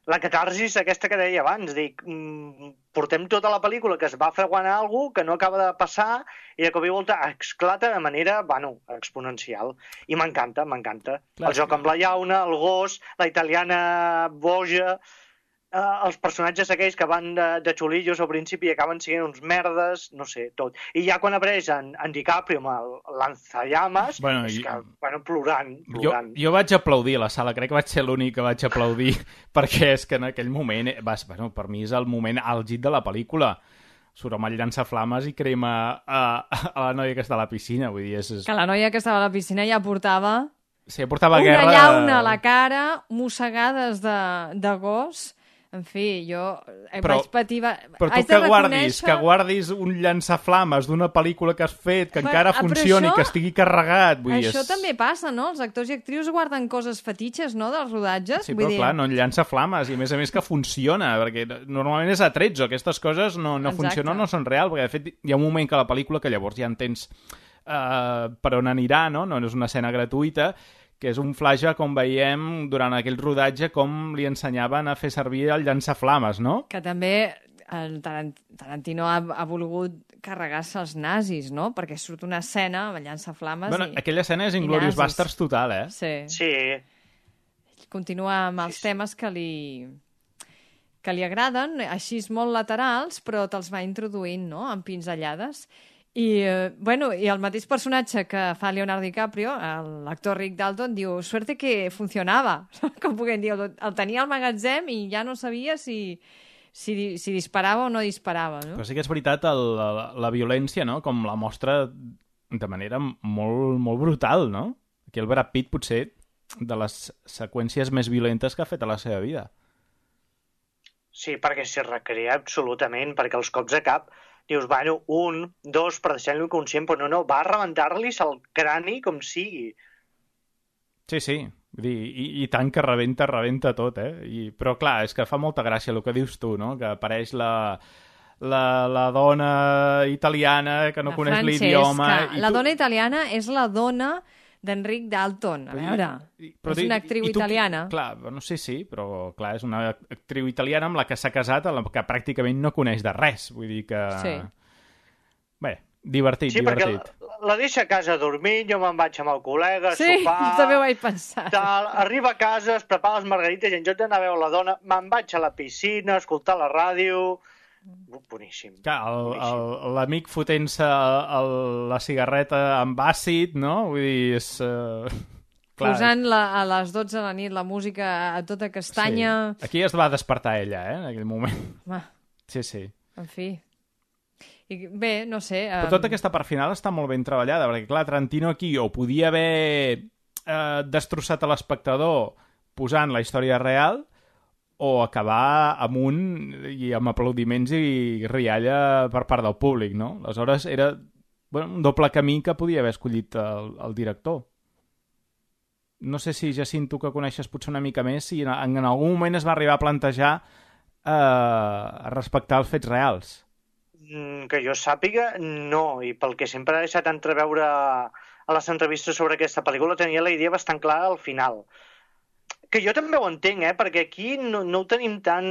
la catarsis aquesta que deia abans. Dic, mm, portem tota la pel·lícula que es va fraguant alguna cosa que no acaba de passar i de cop i volta esclata de manera, bueno, exponencial. I m'encanta, m'encanta. Clar, El joc amb la llauna, el gos, la italiana boja... Uh, els personatges aquells que van de, de xulillos al principi i acaben sent uns merdes, no sé, tot. I ja quan apareix en, en DiCaprio amb el lanzallames, Bueno, és i- que, bueno, plorant, Jo, plorant. jo vaig aplaudir a la sala, crec que vaig ser l'únic que vaig aplaudir, perquè és que en aquell moment, eh, vas, bueno, per mi és el moment àlgid de la pel·lícula. Surt amb el llançaflames i crema a, a la noia que està a la piscina, vull dir, és... és... Que la noia que estava a la piscina ja portava Sí, portava una guerra... llauna a la cara, mossegades de, de gos. En fi, jo eh, Però- vaig patir... Va... Però tu haig que de guardis, reconèixer- que guardis un llançaflames d'una pel·lícula que has fet, que Però- encara ah, però funcioni, això- que estigui carregat, vull dir... Això és- també passa, no? Els actors i actrius guarden coses fetitxes, no?, dels rodatges. Sí, Vull però dir... clar, no llança flames, i a més a més que funciona, perquè normalment és a tretzo, aquestes coses no, no Exacte. funcionen, no són reals, perquè de fet hi ha un moment que la pel·lícula que llavors ja entens uh, per on anirà, no? No és una escena gratuïta, que és un flashback on veiem durant aquell rodatge com li ensenyaven a fer servir el llançaflames, no? Que també el Tarant- Tarantino ha, ha volgut carregar-se els nazis, no? Perquè surt una escena amb llançaflames Bueno, i... aquella escena és i Inglourious nazis. Basterds total, eh? Sí. Sí, Continua amb els temes que li que li agraden, així molt laterals, però te'ls va introduint, no?, amb pinzellades. I, eh, bueno, i el mateix personatge que fa Leonardo DiCaprio, el- l'actor Rick Dalton, diu, suerte que funcionava, com puguem dir, el, el tenia al magatzem i ja no sabia si, si, si disparava o no disparava, no? Però sí que és veritat el, la, la violència, no?, com la mostra de manera molt, molt brutal, no? Aquí el Brad Pitt potser de les seqüències més violentes que ha fet a la seva vida. sí, perquè s'hi recrea absolutament, perquè els cops de cap dius, bueno, un, dos, per deixar-lo inconscient, però no, no, va a rebentar-li el crani com sigui. Sí, sí, vull dir, i, i tant que rebenta, rebenta tot, eh? I, però clar, és que fa molta gràcia el que dius tu, no? Que apareix la, la, la dona italiana que no La coneix Francesca. l'idioma... i La tu- dona italiana és la dona d'Enric Dalton. A veure, I- és tu- una actriu i tu- italiana. Clar, no sé si, però clar, és una actriu italiana amb la que s'ha casat, amb la que pràcticament no coneix de res. Vull dir que... Sí. Bé, divertit, Sí, perquè divertit. la, la deixa a casa dormint, jo me'n vaig amb el col·lega, a Sí, sopar... també ho vaig pensar. Tal, arriba a casa, es prepara les margarites i en lloc d'anar a veure la dona, me'n vaig a la piscina, a escoltar la ràdio... Boníssim. Clar, el- Boníssim. el- l'amic fotent-se el- la cigarreta amb àcid, no? Vull dir, és... Uh... Posant la, a les dotze de la nit la música a tota castanya... Sí. Aquí es va despertar ella, eh, en aquell moment. Home, Sí, sí. en fi. I, bé, no sé... Però em, tota aquesta part final està molt ben treballada, perquè, clar, Tarantino aquí o podia haver eh, destrossat a l'espectador posant la història real o acabar amb un i amb aplaudiments i rialla per part del públic, no? Aleshores era bueno, un doble camí que podia haver escollit el, el director. No sé si, Jacint, tu que coneixes potser una mica més, si en, en algun moment es va arribar a plantejar eh, respectar els fets reals. Mm, Que jo sàpiga, no. I pel que sempre ha deixat entreveure a les entrevistes sobre aquesta pel·lícula, tenia la idea bastant clara al final. Que jo també ho entenc, eh? Perquè aquí no, no ho tenim tan,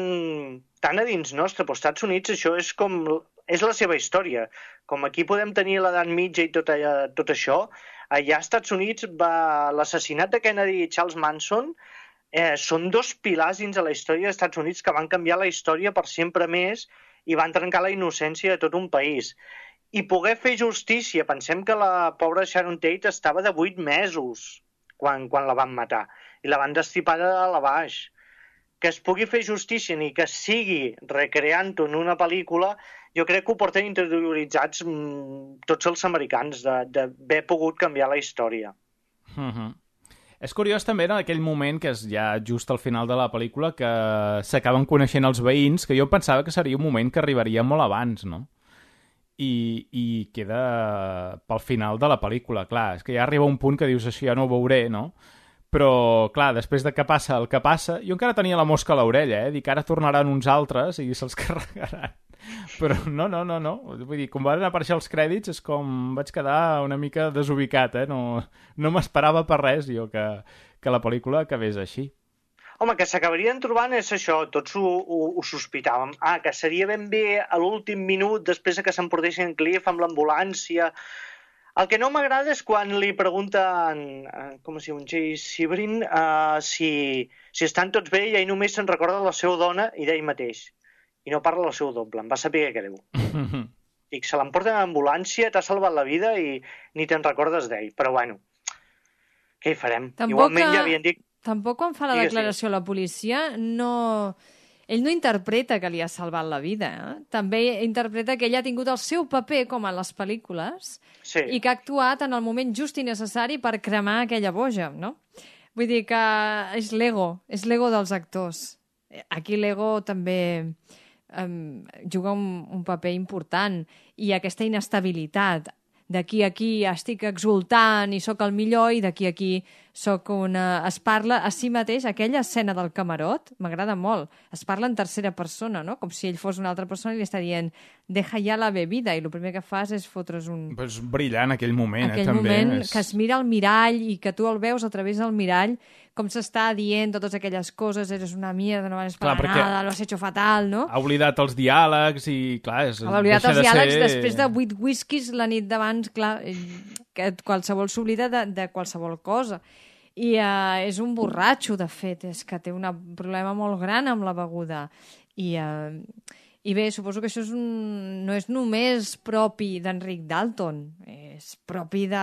tan a dins nostre, però als Estats Units això és com... és la seva història. Com aquí podem tenir l'edat mitja i tot, allà, tot això, allà als Estats Units va... l'assassinat de Kennedy i Charles Manson eh, són dos pilars dins de la història dels Estats Units que van canviar la història per sempre més i van trencar la innocència de tot un país. I poder fer justícia, pensem que la pobra Sharon Tate estava de vuit mesos quan, quan la van matar i la van destripar de dalt a baix. Que es pugui fer justícia ni que sigui recreant-ho en una pel·lícula, jo crec que ho porten interioritzats mm, tots els americans d'haver pogut canviar la història. Uh-huh. És curiós també en aquell moment, que és ja just al final de la pel·lícula, que s'acaben coneixent els veïns, que jo pensava que seria un moment que arribaria molt abans, no? I, i queda pel final de la pel·lícula. Clar, és que ja arriba un punt que dius això ja no ho veuré, no? Però, clar, després de que passa el que passa, jo encara tenia la mosca a l'orella, eh? Dic, ara tornaran uns altres i se'ls carregaran. Però no, no, no, no. Vull dir, quan van aparèixer els crèdits és com vaig quedar una mica desubicat, eh? No, no m'esperava per res jo que, que la pel·lícula acabés així. Home, que s'acabarien trobant és això, tots ho, ho, ho sospitàvem. Ah, que seria ben bé a l'últim minut, després que s'emportessin Cliff amb l'ambulància. El que no m'agrada és quan li pregunten, eh, com es diu, un Jay Sebring, eh, si, si estan tots bé i ell només se'n recorda de la seva dona i d'ell mateix. I no parla del seu doble, em va saber greu. Dic, se l'emporten a l'ambulància, t'ha salvat la vida i ni te'n recordes d'ell. Però bueno, què hi farem? Tampoc Igualment que- ja havien dit... Tampoc quan fa la Digues, declaració a la policia, no... ell no interpreta que li ha salvat la vida. Eh? També interpreta que ell ha tingut el seu paper, com en les pel·lícules, Sí. i que ha actuat en el moment just i necessari per cremar aquella boja, no? Vull dir que és l'ego, és l'ego dels actors. Aquí l'ego també um, juga un, un paper important, i aquesta inestabilitat. D'aquí a aquí estic exultant i sóc el millor, i d'aquí a aquí sóc una... Es parla a si mateix, aquella escena del camarot, m'agrada molt. Es parla en tercera persona, no? Com si ell fos una altra persona i li està dient deja ja la bebida, i el primer que fas és fotre's un... Pues brillant aquell moment, aquell eh, també. moment és... que es mira al mirall i que tu el veus a través del mirall, com s'està dient totes aquelles coses, eres una mierda, no vales para Clar, perquè- nada, lo has hecho fatal, no? Ha oblidat els diàlegs i, clar, és, Ha oblidat deixa els de diàlegs ser... després de vuit whiskies la nit d'abans, clar, eh, que qualsevol s'oblida de, de qualsevol cosa. I uh, és un borratxo, de fet, és que té un problema molt gran amb la beguda. I, uh, i bé, suposo que això és un, no és només propi d'Enric Dalton, és propi de,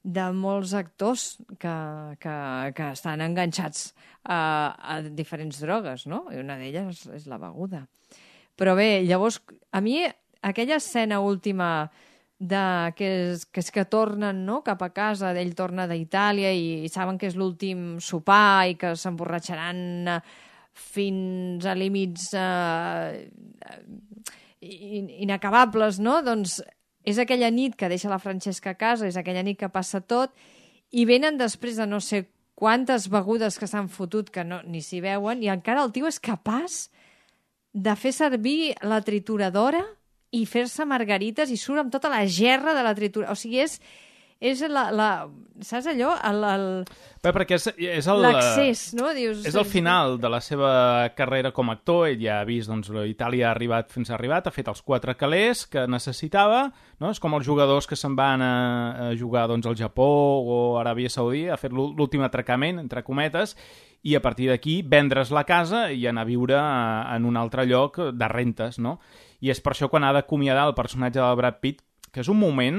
de molts actors que, que, que estan enganxats a, a diferents drogues, no? I una d'elles és la beguda. Però bé, llavors, a mi aquella escena última de, que, és, que és que tornen, no?, cap a casa, ell torna d'Itàlia i, i saben que és l'últim sopar i que s'emborratxaran eh, fins a límits eh, in, inacabables, no? Doncs és aquella nit que deixa la Francesca a casa, és aquella nit que passa tot, i venen després de no sé quantes begudes que s'han fotut que no, ni s'hi veuen, i encara el tio és capaç de fer servir la trituradora i fer-se margarites i surt amb tota la gerra de la tritura. O sigui, és, és la, la... Saps allò? El, el... Bé, perquè és, és el... L'accés, no? Dius, És el final de la seva carrera com a actor. Ell ja ha vist, doncs, Itàlia ha arribat fins ha arribat, ha fet els quatre calés que necessitava, no? És com els jugadors que se'n van a, a jugar, doncs, al Japó o a Aràbia Saudí, ha fet l'últim atracament, entre cometes, i a partir d'aquí vendre's la casa i anar a viure en un altre lloc de rentes, no? i és per això quan ha d'acomiadar el personatge del Brad Pitt, que és un moment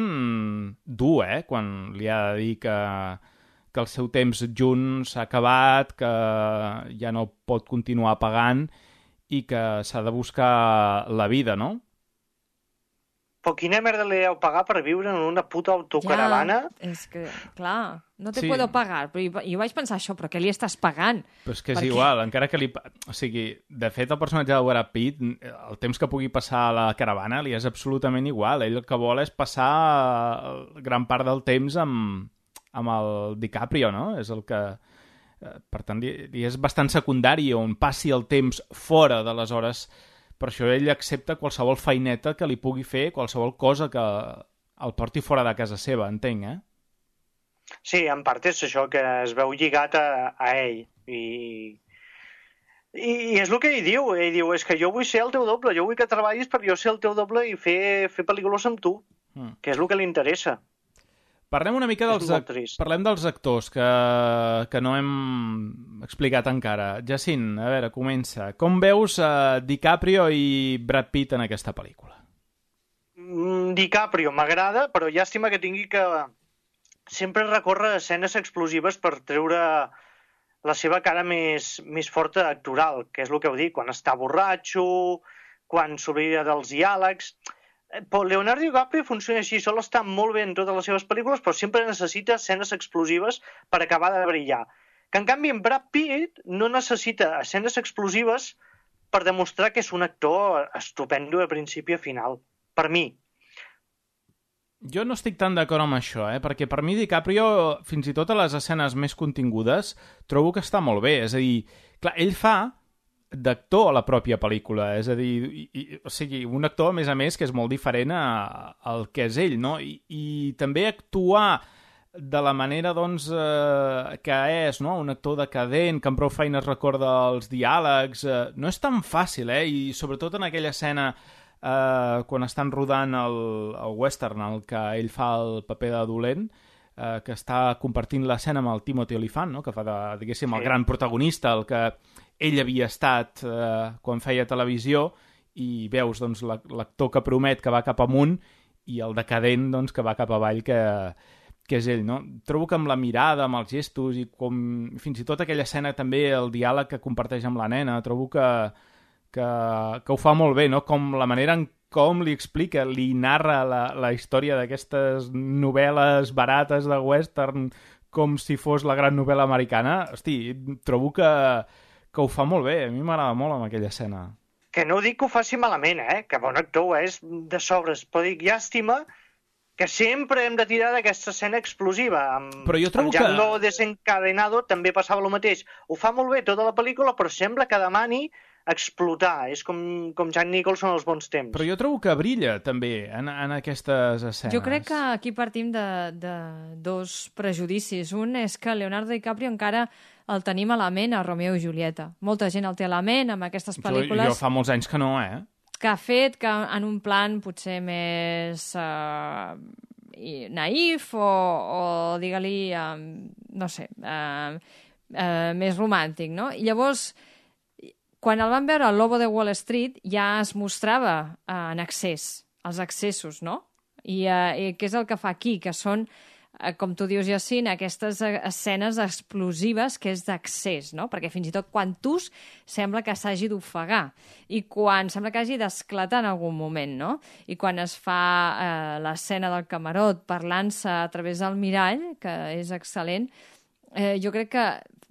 dur, eh? Quan li ha de dir que, que el seu temps junts s'ha acabat, que ja no pot continuar pagant i que s'ha de buscar la vida, no? Però quina merda li deu pagar per viure en una puta autocaravana? Ja, és que, clar, no te Sí. puedo pagar. Però jo, jo vaig pensar això, però què li estàs pagant? Però és que és Per què? igual, encara que li... O sigui, de fet, el personatge del Brad Pitt, el temps que pugui passar a la caravana li és absolutament igual. Ell el que vol és passar gran part del temps amb, amb el DiCaprio, no? És el que... Per tant, li, li és bastant secundari on passi el temps fora de les hores. Per això ell accepta qualsevol feineta que li pugui fer, qualsevol cosa que el porti fora de casa seva, entenc, eh? Sí, en part és això, que es veu lligat a, a ell. I, i, I és el que ell diu. Ell diu, és que jo vull ser el teu doble, jo vull que treballis per jo ser el teu doble i fer, fer pel·lícules amb tu, Mm. que és el que li interessa. Parlem una mica És dels, molt ac- trist. parlem dels actors que, que no hem explicat encara. Jacint, a veure, comença. Com veus uh, DiCaprio i Brad Pitt en aquesta pel·lícula? Mm, DiCaprio m'agrada, però llàstima que tingui que sempre recórrer a escenes explosives per treure la seva cara més, més forta actoral, que és el que heu dit, quan està borratxo, quan s'oblida dels diàlegs. Però Leonardo DiCaprio funciona així, sol estar molt bé en totes les seves pel·lícules, però sempre necessita escenes explosives per acabar de brillar. Que en canvi en Brad Pitt no necessita escenes explosives per demostrar que és un actor estupendo de principi a final. Per mi. Jo no estic tan d'acord amb això, eh? Perquè per mi DiCaprio, fins i tot a les escenes més contingudes, trobo que està molt bé. És a dir, clar, ell fa d'actor a la pròpia pel·lícula, és a dir, i, i, o sigui, un actor, a més a més, que és molt diferent a, al que és ell, no? I, i també actuar de la manera, doncs, eh, que és, no? Un actor decadent, que amb prou feines recorda els diàlegs, eh, no és tan fàcil, eh? I sobretot en aquella escena eh, quan estan rodant el, el western, en el que ell fa el paper de dolent, eh, que està compartint l'escena amb el Timothy Olyphant, no? Que fa, de, diguéssim, el Sí. gran protagonista, el que ell havia estat eh, quan feia televisió, i veus doncs, la- l'actor que promet que va cap amunt i el decadent doncs, que va cap avall, que, que és ell. No? Trobo que amb la mirada, amb els gestos, i com fins i tot aquella escena també, el diàleg que comparteix amb la nena, trobo que, que, que ho fa molt bé, no? Com la manera en com li explica, li narra la, la història d'aquestes novel·les barates de western com si fos la gran novel·la americana. Hosti, trobo que, que ho fa molt bé. A mi m'agrada molt amb aquella escena. Que no dic que ho faci malament, eh? Que bon actor ho és de sobres, però dic, llàstima que sempre hem de tirar d'aquesta escena explosiva. Amb, Però jo trobo amb Django que- Desencadenado també passava el mateix. Ho fa molt bé tota la pel·lícula, però sembla que demani explotar. És com, com Jack Nicholson als bons temps. Però jo trobo que brilla també en, en aquestes escenes. Jo crec que aquí partim de, de dos prejudicis. Un és que Leonardo DiCaprio encara el tenim a la ment a Romeo i Julieta. Molta gent el té a la ment amb aquestes Jo, pel·lícules jo fa molts anys que no, eh? que ha fet que en un plan potser més uh, naïf o, o digue-li, um, no sé, uh, uh, més romàntic, no? I llavors, quan el van veure al Lobo de Wall Street, ja es mostrava uh, en excés, els excessos, no? I, uh, i què és el que fa aquí? Que són, uh, com tu dius, Jacint, aquestes uh, escenes explosives que és d'accés, no? Perquè fins i tot quan tus sembla que s'hagi d'ofegar i quan sembla que hagi d'esclatar en algun moment, no? I quan es fa uh, l'escena del camarot parlant-se a través del mirall, que és excel·lent, eh, jo crec que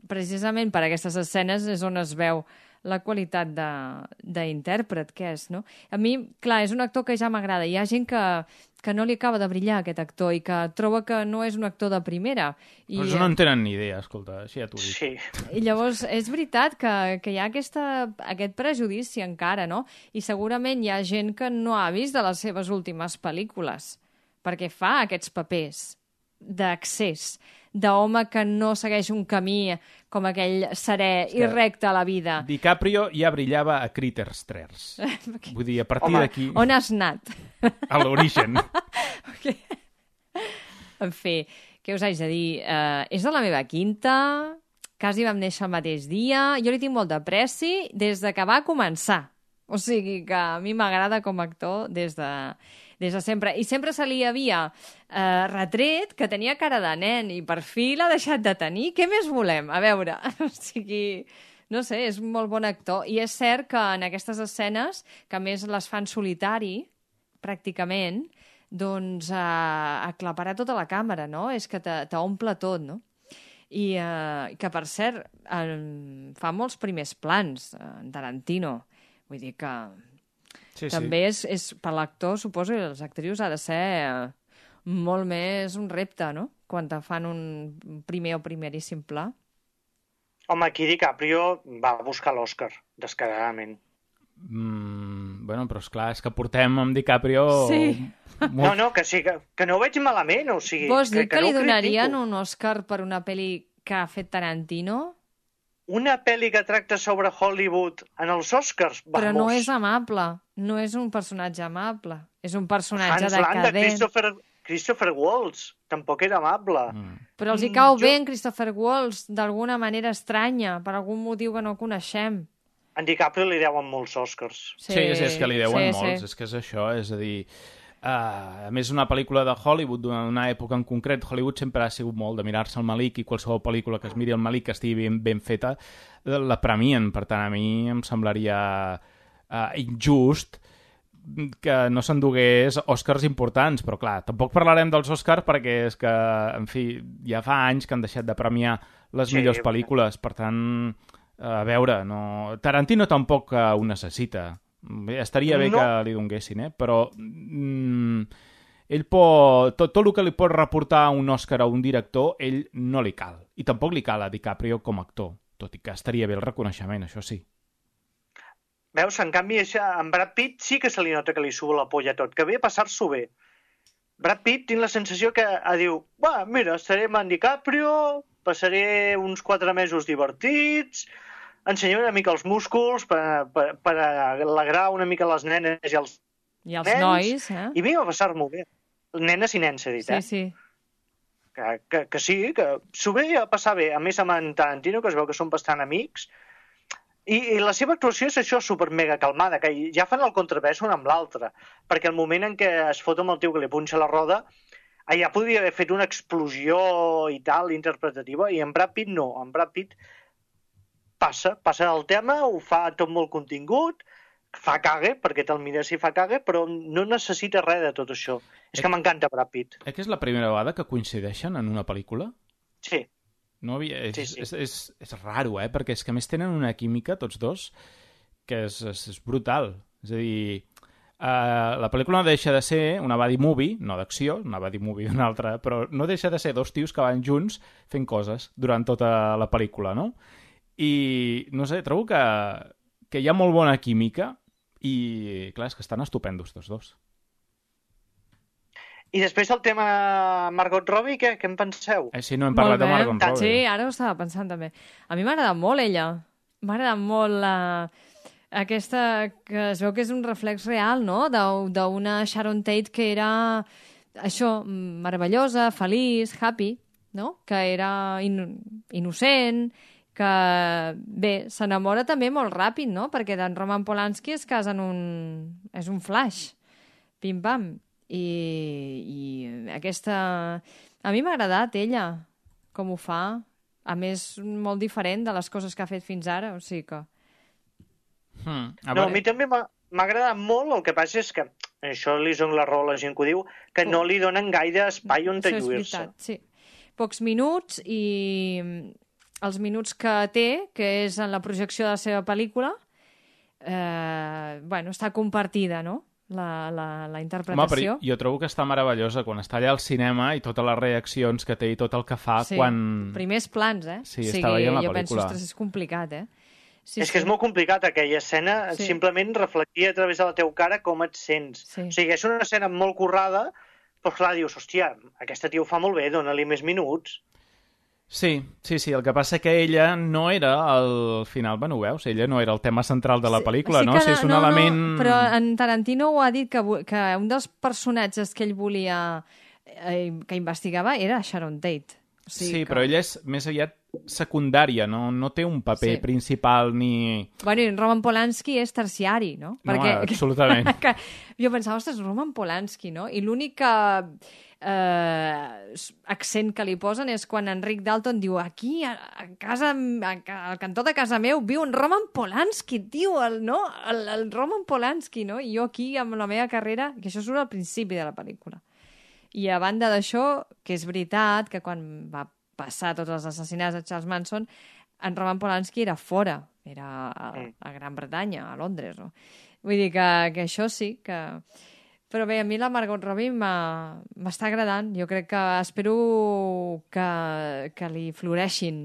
precisament per aquestes escenes és on es veu la qualitat d'intèrpret que és, no? A mi, clar, és un actor que ja m'agrada. Hi ha gent que, que no li acaba de brillar, aquest actor, i que troba que no és un actor de primera. I, Però no en tenen ni idea, escolta, així ja t'ho dic. Sí. I llavors és veritat que, que hi ha aquesta, aquest prejudici encara, no? I segurament hi ha gent que no ha vist de les seves últimes pel·lícules, perquè fa aquests papers d'accés, d'home que no segueix un camí com aquell serè i recte a la vida. DiCaprio ja brillava a Critters tres. Vull dir, a partir Home, d'aquí, On has anat? a l'origen. En fi, què us haig de dir? Uh, és de la meva quinta, quasi vam néixer el mateix dia, jo li tinc molt d'apreci des de que va començar. O sigui que a mi m'agrada com a actor des de, des de sempre. I sempre se li havia eh, retret que tenia cara de nen i per fi l'ha deixat de tenir. Què més volem? A veure, o sigui... No sé, és un molt bon actor. I és cert que en aquestes escenes, que a més les fan solitari, pràcticament, doncs eh, aclaparà tota la càmera, no? És que t'omple tot, no? I eh, que, per cert, eh, fa molts primers plans, eh, en Tarantino. Vull dir que Sí, també sí. és, és per l'actor, suposo, i els actrius ha de ser eh, molt més un repte, no? Quan te fan un primer o primeríssim pla. Home, aquí DiCaprio va buscar l'Oscar, descaradament. Mm, bueno, però esclar, és que portem amb DiCaprio... Sí. No, Molt... no, que sí, que, que no ho veig malament, o sigui... Vols dir que, que li no ho donarien critico. un Oscar per una pel·li que ha fet Tarantino? Una pel·li que tracta sobre Hollywood en els Oscars? Vamos. Però no és amable. No és un personatge amable. És un personatge Hans Landa, decadent. Christopher, Christopher Waltz, tampoc era amable. Mm. Però els hi Mm, cau jo- bé en Christopher Waltz d'alguna manera estranya, per algun motiu que no coneixem. En DiCaprio li deuen molts Oscars. Sí, sí, sí, és que li deuen sí, molts, Sí. és que és això, és a dir... Uh, a més, una pel·lícula de Hollywood, d'una època en concret, Hollywood sempre ha sigut molt de mirar-se el Malik i qualsevol pel·lícula que es miri el Malik que estigui ben, ben feta, la premien. Per tant, a mi em semblaria uh, injust que no s'endugués Oscars importants, però clar, tampoc parlarem dels Oscars perquè és que, en fi, ja fa anys que han deixat de premiar les Sí, millors pel·lícules, per tant, a veure, no... Tarantino tampoc uh, ho necessita. Bé, estaria bé No. que li donguessin, eh? Però mm, ell pot, tot, tot el que li pot reportar un Òscar a un director, ell no li cal. I tampoc li cal a DiCaprio com a actor, tot i que estaria bé el reconeixement, això sí. Veus, en canvi, això, en Brad Pitt sí que se li nota que li sube la polla tot, que ve a passar-s'ho bé. Brad Pitt tinc la sensació que a diu, va, mira, estaré amb en DiCaprio, passaré uns quatre mesos divertits, ensenyaré una mica els músculs per, per, per alegrar una mica les nenes i els I els nens, nois, eh? i vinc a passar-m'ho bé. Nenes i nens, he dit, Sí, eh? sí. Que, que, que sí, que s'ho ve a passar bé. A més, amb en Tarantino, que es veu que són bastant amics, i, i la seva actuació és això, super mega calmada, que ja fan el contrapès un amb l'altre, perquè el moment en què es fot amb el tio que li punxa la roda, allà podria haver fet una explosió i tal, interpretativa, i en Brad Pitt no. En Brad Pitt passa, passa el tema, ho fa tot molt contingut, fa cague, perquè te'l mires i fa cague, però no necessita res de tot això. És que m'encanta Brad Pitt. Eh que és la primera vegada que coincideixen en una pel·lícula? Sí. No havia... és, Sí, sí. És, és, és raro, eh? Perquè és que a més tenen una química, tots dos, que és, és, és brutal. És a dir, uh, la pel·lícula no deixa de ser una buddy movie, no d'acció, una buddy movie d'una altra, però no deixa de ser dos tios que van junts fent coses durant tota la pel·lícula, no? I, no sé, trobo que, que hi ha molt bona química i, clar, és que estan estupendos tots dos. I després el tema Margot Robbie, què, què en penseu? Eh, sí, no hem parlat Molt de bé. Margot Robbie. Sí, ara ho estava pensant també. A mi m'ha agradat molt ella. M'ha agradat molt la... aquesta que es veu que és un reflex real, no? D'u- D'una Sharon Tate que era això, meravellosa, feliç, happy, no? Que era in innocent, que bé, s'enamora també molt ràpid, no? Perquè d'en Roman Polanski es casa en un... és un flash. Pim-pam. I, i aquesta... A mi m'ha agradat ella, com ho fa. A més, molt diferent de les coses que ha fet fins ara, o sigui que... Hmm. A no, a mi també m'ha m'ha agradat molt, el que passa és que, això li dono la raó a la gent que ho diu, que no li donen gaire espai on Això és lluir-se. veritat, sí. Pocs minuts i els minuts que té, que és en la projecció de la seva pel·lícula, eh, bueno, està compartida, no?, la, la, la Home, interpretació. però jo trobo que està meravellosa quan està allà al cinema i totes les reaccions que té i tot el que fa Sí, quan... primers plans, eh? Sí, o sigui, està veient la jo penso, pel·lícula. ostres, és complicat, eh? Sí, És que és molt complicat, aquella escena, Sí. simplement reflectia a través de la teva cara com et sents. Sí. O sigui, és una escena molt currada, però clar, dius, hòstia, aquesta tia ho fa molt bé, dona-li més minuts. Sí, sí, sí, el que passa que ella no era al final, bueno, ho veus, ella no era el tema central de la pel·lícula, Sí no? que O sigui, és un no, element... No, però en Tarantino ho ha dit que, vo- que un dels personatges que ell volia, eh, que investigava, era Sharon Tate. Sí, que... però ella és més aviat secundària, no, no té un paper Sí. principal ni... Bueno, i Roman Polanski és terciari, no? No, absolutament. que jo pensava, ostres, Roman Polanski, no? I l'únic que, eh, accent que li posen és quan Enric Dalton diu aquí, a, a casa, a, al cantó de casa meu, viu un Roman Polanski, tio, el, no? El, el Roman Polanski, no? I jo aquí, amb la meva carrera, que això surt al principi de la pel·lícula. I a banda d'això, que és veritat que quan va passar tots els assassinats de Charles Manson, en Roman Polanski era fora, era a, a Gran Bretanya, a Londres. No? Vull dir que, que això sí, que... Però bé, a mi la Margot Robbie m'està agradant. Jo crec que espero que, que li floreixin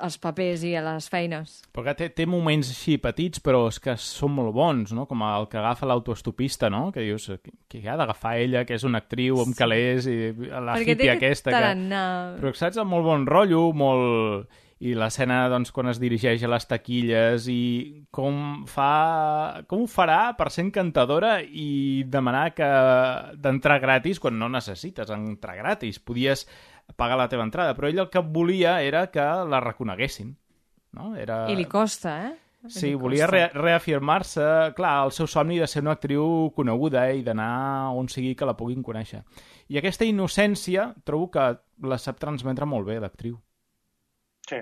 els papers i les feines. Perquè té, té moments així petits, però és que són molt bons, no? Com el que agafa l'autoestopista, no? Que dius, que ha d'agafar ella, que és una actriu amb calés, i la Perquè hippie té aquesta. tarannà. Que... Però saps, amb molt bon rotllo, molt... I l'escena, doncs, quan es dirigeix a les taquilles i com fa... Com ho farà per ser encantadora i demanar que d'entrar gratis quan no necessites entrar gratis. Podies pagar la teva entrada, però ell el que volia era que la reconeguessin. No? Era... I li costa, eh? Sí, li volia costa. re reafirmar-se, clar, el seu somni de ser una actriu coneguda eh, i d'anar on sigui que la puguin conèixer. I aquesta innocència trobo que la sap transmetre molt bé l'actriu. Sí.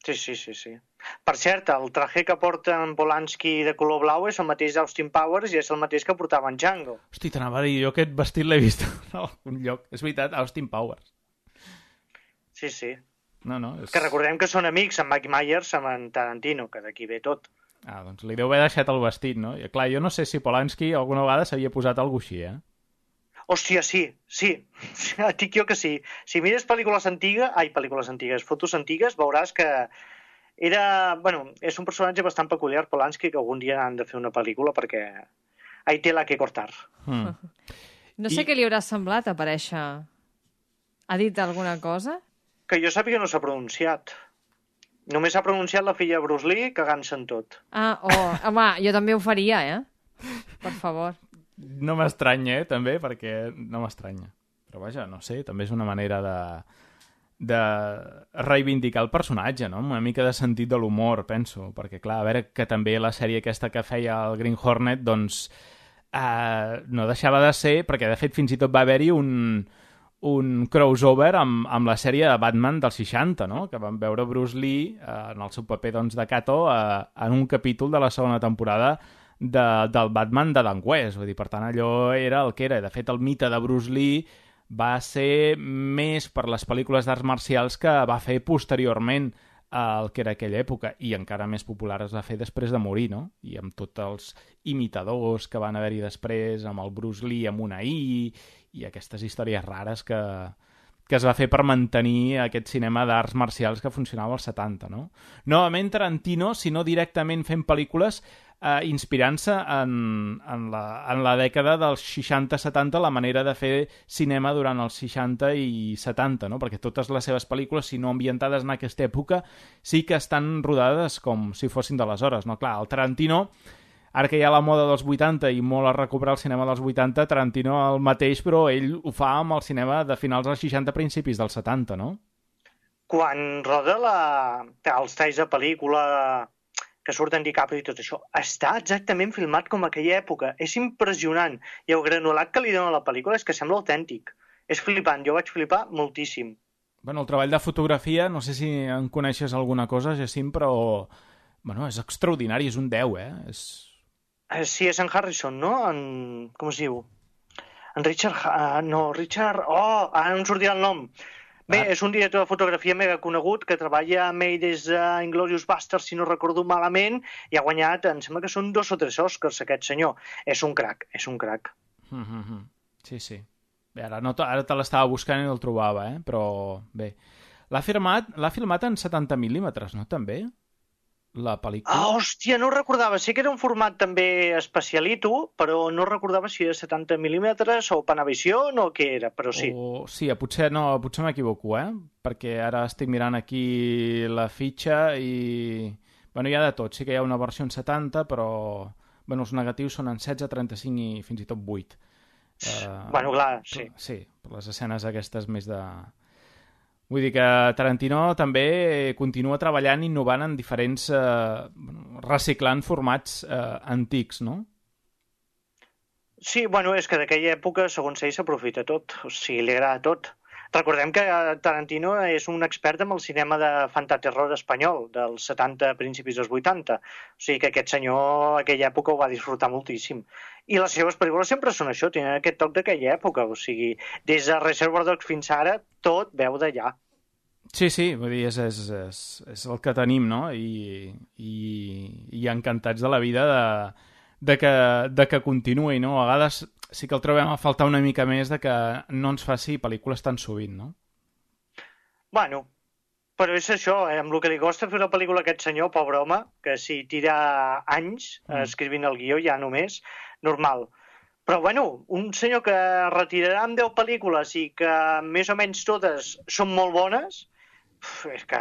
Sí, sí, sí, sí. Per cert, el traje que porta en Polanski de color blau és el mateix d'Austin Powers i és el mateix que portava en Django. Hosti, t'anava a dir, jo aquest vestit l'he vist en algun lloc. És veritat, Austin Powers. Sí, sí. No, no, és... Que recordem que són amics, en Mike Myers amb en Tarantino, que d'aquí ve tot. Ah, doncs li deu haver deixat el vestit, no? I clar, jo no sé si Polanski alguna vegada s'havia posat alguna així, eh? Hòstia, sí, sí. Et dic jo que sí. Si mires pel·lícules antigues, ai, pel·lícules antigues, fotos antigues, veuràs que era... Bueno, és un personatge bastant peculiar, Polanski, que algun dia han de fer una pel·lícula perquè ahí té la que cortar. Mm. No sé I- què li haurà semblat aparèixer. Ha dit alguna cosa? Que jo sàpiga no s'ha pronunciat. Només s'ha pronunciat la filla de Bruce Lee cagant-se en tot. Ah, oh, home, jo també ho faria, eh? Per favor. No m'estranya, eh, també, perquè no m'estranya. Però vaja, no sé, també és una manera de, de reivindicar el personatge, no? Una mica de sentit de l'humor, penso. Perquè, clar, a veure, que també la sèrie aquesta que feia el Green Hornet, doncs, eh, no deixava de ser, perquè de fet fins i tot va haver-hi un, un crossover amb, amb la sèrie de Batman dels seixanta, no? Que vam veure Bruce Lee eh, en el seu paper doncs, de Kato eh, en un capítol de la segona temporada de, del Batman de Dan West. Vull dir, per tant, allò era el que era. De fet, el mite de Bruce Lee va ser més per les pel·lícules d'arts marcials que va fer posteriorment al que era aquella època, i encara més popular es va fer després de morir, no? I amb tots els imitadors que van haver-hi després, amb el Bruce Lee amb una I, i aquestes històries rares que, que es va fer per mantenir aquest cinema d'arts marcials que funcionava als setanta, no? Novament Tarantino, si no directament fent pel·lícules, eh, inspirant-se en, en, la, en la dècada dels seixanta setanta, la manera de fer cinema durant els seixanta i setanta, no? Perquè totes les seves pel·lícules, si no ambientades en aquesta època, sí que estan rodades com si fossin d'aleshores, no? Clar, el Tarantino, ara que hi ha la moda dels vuitanta i molt a recuperar el cinema dels vuitanta, Tarantino el mateix, però ell ho fa amb el cinema de finals dels seixanta, principis dels setanta, no? Quan roda la... els talls de pel·lícula que surten DiCaprio i tot això, està exactament filmat com aquella època. És impressionant. I el granulat que li dona a la pel·lícula és que sembla autèntic. És flipant. Jo vaig flipar moltíssim. Bueno, el treball de fotografia, no sé si en coneixes alguna cosa, Jacint, però bueno, és extraordinari, és un deu, eh? És... Eh, Sí, és en Harrison, no? En... Com es diu? En Richard... Ha- No, Richard... Oh, ara no em sortia el nom. Bé, Ah. és un director de fotografia mega conegut que treballa amb ell des d'Inglorious Basterds, si no recordo malament, i ha guanyat, em sembla que són dos o tres Oscars, aquest senyor. És un crac, és un crac. Mm -hmm. Sí, sí. Bé, ara, no te, ara te l'estava buscant i no el trobava, eh? Però bé. L'ha filmat, l'ha filmat en setanta mil·límetres, no? També? La pel·lícula. Ah, hòstia, no ho recordava. Sé que era un format també especialito, però no recordava si era setanta mil·límetres o Panavision o què era, però sí. O, sí, potser, no, potser m'equivoco, eh? Perquè ara estic mirant aquí la fitxa i... Bueno, hi ha de tot. Sí que hi ha una versió en setanta, però... Bueno, els negatius són en setze, trenta-cinc i fins i tot vuit. Uh, Bueno, clar, sí. Sí, per les escenes aquestes més de... Vull dir que Tarantino també continua treballant, innovant en diferents... Eh, reciclant formats eh, antics, no? Sí, bueno, és que d'aquella època, segons ell, s'aprofita tot. O sigui, li agrada tot. Recordem que Tarantino és un expert amb el cinema de fantaterror espanyol, dels setanta, principis dels vuitanta. O sigui que aquest senyor, a aquella època, ho va disfrutar moltíssim. I les seves pel·lícules sempre són això, tenen aquest toc d'aquella època. O sigui, des de Reservoir Dogs fins ara, tot veu d'allà. Sí, sí, vull dir, és, és, és, és el que tenim, no? I, i, i encantats de la vida de, de, que, de que continuï, no? A vegades sí que el trobem a faltar una mica més de que no ens faci pel·lícules tan sovint, no? Bueno, però és això, eh? Amb el que li costa fer una pel·lícula a aquest senyor, pobre home, que si tira anys mm. escrivint el guió ja només, normal. Però bueno, un senyor que retirarà amb deu pel·lícules i que més o menys totes són molt bones, uf, és que,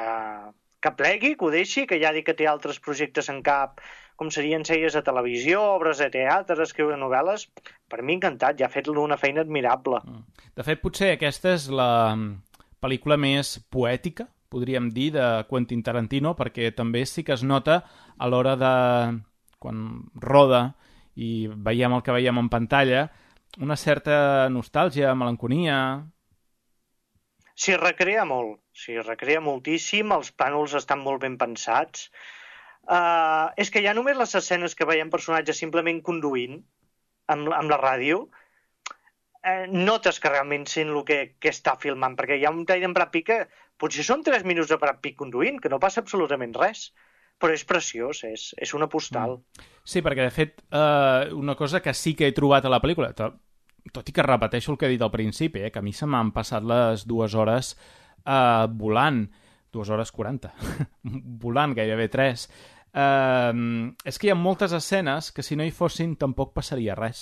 que plegui, que ho deixi, que ja dic que té altres projectes en cap, com serien sèries de televisió, obres de teatre, escriure novel·les. Per mi encantat, ja ha fet una feina admirable. De fet, potser aquesta és la pel·lícula més poètica, podríem dir, de Quentin Tarantino, perquè també sí que es nota a l'hora de... quan roda i veiem el que veiem en pantalla, una certa nostàlgia, melanconia... S'hi recrea molt, s'hi recrea moltíssim, els plànols estan molt ben pensats. Uh, és que ja només les escenes que veiem personatges simplement conduint amb, amb la ràdio, eh, notes que realment sent el que, que està filmant, perquè hi ha un tall d'en Brad Pitt que potser són tres minuts de Brad Pitt conduint, que no passa absolutament res, però és preciós, és, és una postal. Sí, perquè de fet eh, una cosa que sí que he trobat a la pel·lícula, tot, tot i que repeteixo el que he dit al principi, eh, que a mi se m'han passat les dues hores eh, volant, dues hores quaranta, volant gairebé tres. Uh, és que hi ha moltes escenes que si no hi fossin tampoc passaria res.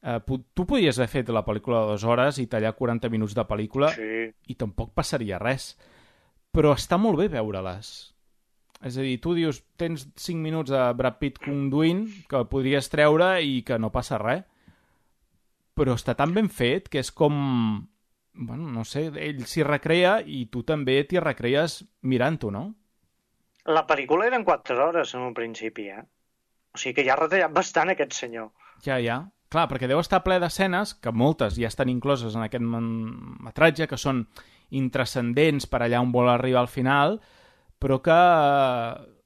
Uh, tu podies haver fet la pel·lícula de dues hores i tallar quaranta minuts de pel·lícula sí. i tampoc passaria res. Però està molt bé veure-les. És a dir, tu dius, tens cinc minuts de Brad Pitt conduint que podries treure i que no passa res. Però està tan ben fet que és com... Bueno, no sé, ell s'hi recrea i tu també t'hi recrees mirant-ho, no? La pel·lícula eren quatre hores en un principi, eh? O sigui que ja ha retallat bastant aquest senyor. Ja, ja. Clar, perquè deu estar ple d'escenes, que moltes ja estan incloses en aquest metratge, que són intrascendents per allà on vol arribar al final, però que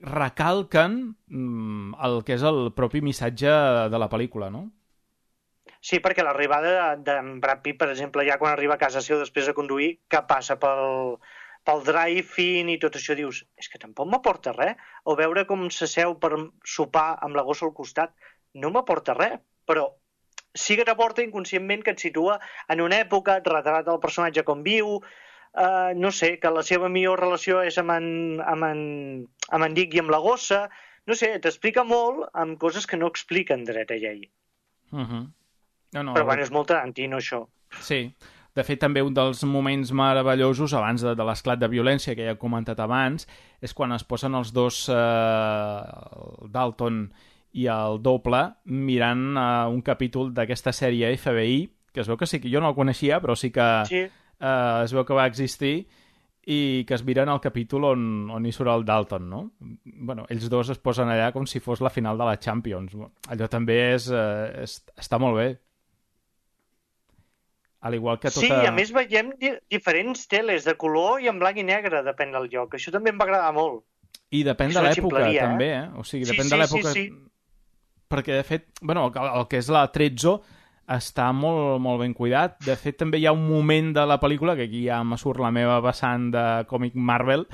recalquen el que és el propi missatge de la pel·lícula, no? Sí, perquè l'arribada d'en Brad Pitt, per exemple, ja quan arriba a casa seu després de conduir, que passa pel, pel drive-in i tot això, dius, és que tampoc m'aporta res. O veure com s'asseu per sopar amb la gossa al costat, no m'aporta res, però sí que t'aporta inconscientment que et situa en una època, et retrata el personatge com viu, eh, no sé, que la seva millor relació és amb en, amb en, amb en Dick i amb la gossa, no sé, t'explica molt amb coses que no expliquen dret a llei. Uh -huh. No, no, però bueno, és molt Tarantino, això. Sí. De fet, també un dels moments meravellosos, abans de, de l'esclat de violència que ja he comentat abans, és quan es posen els dos, eh, el Dalton i el doble, mirant eh, un capítol d'aquesta sèrie F B I, que es veu que sí que jo no el coneixia, però sí que sí. Eh, es veu que va existir, i que es miren el capítol on, on hi surt el Dalton, no? Bueno, ells dos es posen allà com si fos la final de la Champions. Allò també és, eh, és, està molt bé. Al igual que tota... Sí, a més veiem di diferents teles de color i en blanc i negre, depèn del lloc. Això també em va agradar molt. I depèn de l'època, també, eh? O sigui, depèn sí, de sí, l'època... Sí, sí. Perquè, de fet, bueno, el, el que és la Trezzo està molt, molt ben cuidat. De fet, també hi ha un moment de la pel·lícula, que aquí ja me surt la meva vessant de còmic Marvel,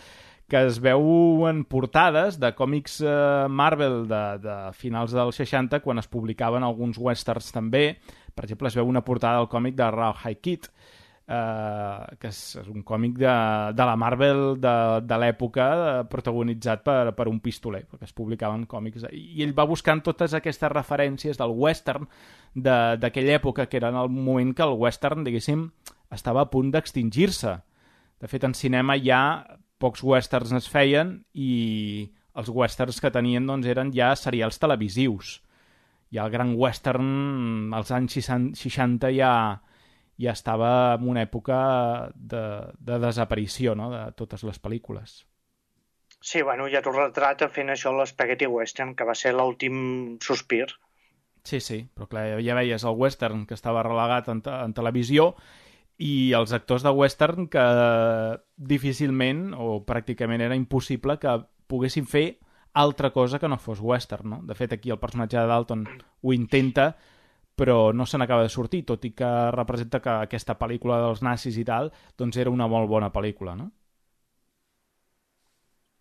que es veuen portades de còmics eh, Marvel de, de finals dels seixanta, quan es publicaven alguns westerns també. Per exemple, es veu una portada del còmic de Rawhide Kid, eh, que és, és un còmic de, de la Marvel de, de l'època, protagonitzat per, per un pistoler, perquè es publicaven còmics. I ell va buscant totes aquestes referències del western d'aquella època, que era en el moment que el western, diguéssim, estava a punt d'extingir-se. De fet, en cinema ja pocs westerns es feien i els westerns que tenien doncs, eren ja serials televisius. Ja el gran western als anys seixanta ja, ja estava en una època de, de desaparició, no?, de totes les pel·lícules. Sí, bueno, ja t'ho retrata fent això l'Spaghetti Western, que va ser l'últim sospir. Sí, sí, però clar, ja veies el western que estava relegat en, te en televisió i els actors de western que difícilment o pràcticament era impossible que poguessin fer altra cosa que no fos western, no? De fet, aquí el personatge de Dalton ho intenta, però no se n'acaba de sortir, tot i que representa que aquesta pel·lícula dels nazis i tal, doncs era una molt bona pel·lícula, no?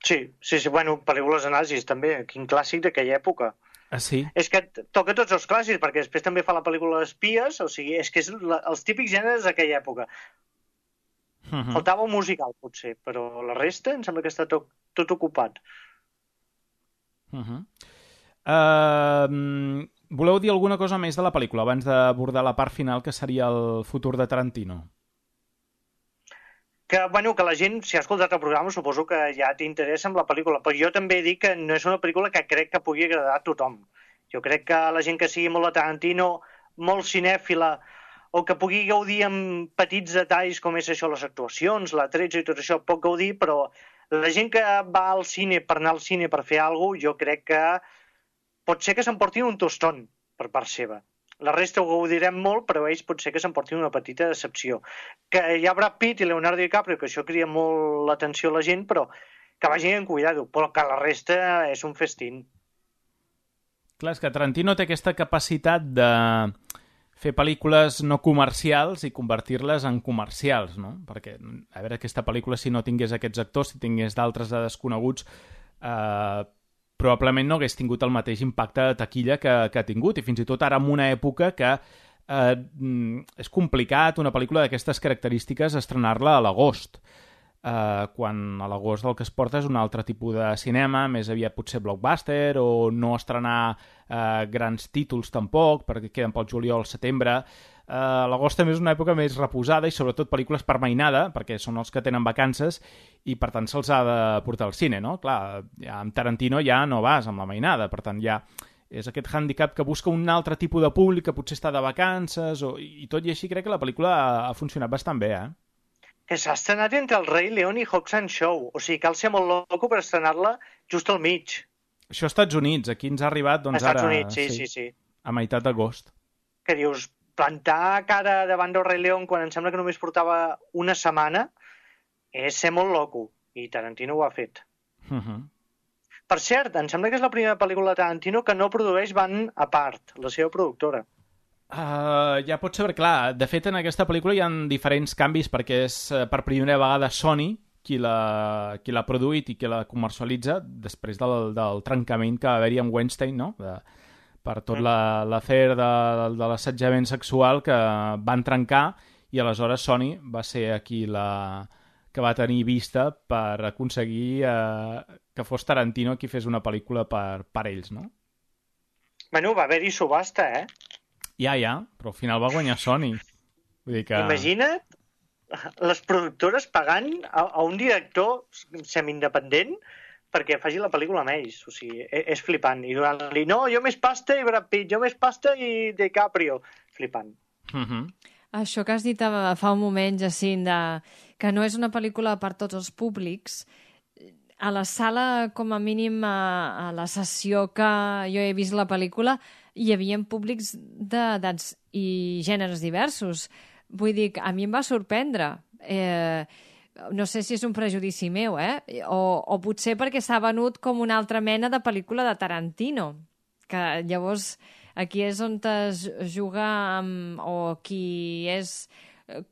Sí, sí, sí, bueno, pel·lícules de nazis també, quin clàssic d'aquella època. Ah, sí? És que toca tots els clàssics, perquè després també fa la pel·lícula d'espies, o sigui, és que és la, els típics gèneres d'aquella època. Uh -huh. Faltava un musical, potser, però la resta em sembla que està tot, tot ocupat. Uh -huh. uh, voleu dir alguna cosa més de la pel·lícula abans d'abordar la part final, que seria el futur de Tarantino? Que, bueno, que la gent, si ha escoltat el programa, suposo que ja t'interessa amb la pel·lícula, però jo també dic que no és una pel·lícula que crec que pugui agradar a tothom. Jo crec que la gent que sigui molt de Tarantino, molt cinèfila, o que pugui gaudir amb petits detalls com és això, les actuacions, la tretze i tot això, pot gaudir, però la gent que va al cine per anar al cine per fer alguna cosa, jo crec que pot ser que s'emportin un tostón per part seva. La resta ho gaudirem molt, però ells pot ser que s'emportin una petita decepció. Que hi ha Brad Pitt i Leonardo DiCaprio, que això cria molt l'atenció a la gent, però que vagin amb cuidado, però que la resta és un festín. Clar, és que Tarantino té aquesta capacitat de fer pel·lícules no comercials i convertir-les en comercials, no? Perquè, a veure, aquesta pel·lícula, si no tingués aquests actors, si tingués d'altres de desconeguts, eh, probablement no hagués tingut el mateix impacte de taquilla que, que ha tingut, i fins i tot ara en una època que eh, és complicat una pel·lícula d'aquestes característiques estrenar-la a l'agost, eh, quan a l'agost el que es porta és un altre tipus de cinema, més aviat potser blockbuster, o no estrenar eh, grans títols tampoc, perquè queden pel juliol, setembre. Uh, l'agost també és una època més reposada i sobretot pel·lícules per mainada, perquè són els que tenen vacances i per tant se'ls ha de portar al cine, no? Clar, ja amb Tarantino ja no vas amb la mainada, per tant ja és aquest hàndicap que busca un altre tipus de públic que potser està de vacances o... i tot i així crec que la pel·lícula ha, ha funcionat bastant bé, eh? Que s'ha estrenat entre el Rei León i Hobbs and Shaw, o sigui, cal ser molt loco per estrenar-la just al mig. Això als Estats Units, aquí ens ha arribat doncs, Estats ara... Units, sí, sí, sí. A meitat d'agost. Que dius, plantar cara davant del Rei León quan em sembla que només portava una setmana és ser molt loco, i Tarantino ho ha fet. Uh -huh. Per cert, em sembla que és la primera pel·lícula de Tarantino que no produeix Van Apart, la seva productora. Uh, ja pot ser, clar, de fet en aquesta pel·lícula hi ha diferents canvis perquè és uh, per primera vegada Sony qui l'ha qui l'ha produït i qui la comercialitza després del, del trencament que va haver-hi amb Weinstein, no? De, per tot l'afer de, de l'assetjament sexual que van trencar, i aleshores Sony va ser aquí la que va tenir vista per aconseguir eh, que fos Tarantino qui fes una pel·lícula per, per ells, no? Bueno, va haver-hi subhasta, eh? Ja, ja, però al final va guanyar Sony. Vull dir que... Imagina't les productores pagant a, a un director semi-independent perquè faci la pel·lícula amb ells. O sigui, és, és flipant. I donant-li, no, jo més pasta i Brad Pitt, jo més pasta i DiCaprio. Flipant. Uh -huh. Això que has dit fa un moment, Jacint, de... que no és una pel·lícula per tots els públics. A la sala, com a mínim, a, a la sessió que jo he vist la pel·lícula, hi havia públics d'edats i gèneres diversos. Vull dir, a mi em va sorprendre. Eh, no sé si és un prejudici meu, eh? O, o potser perquè s'ha venut com una altra mena de pel·lícula de Tarantino. Que llavors aquí és on es juga amb... o qui és...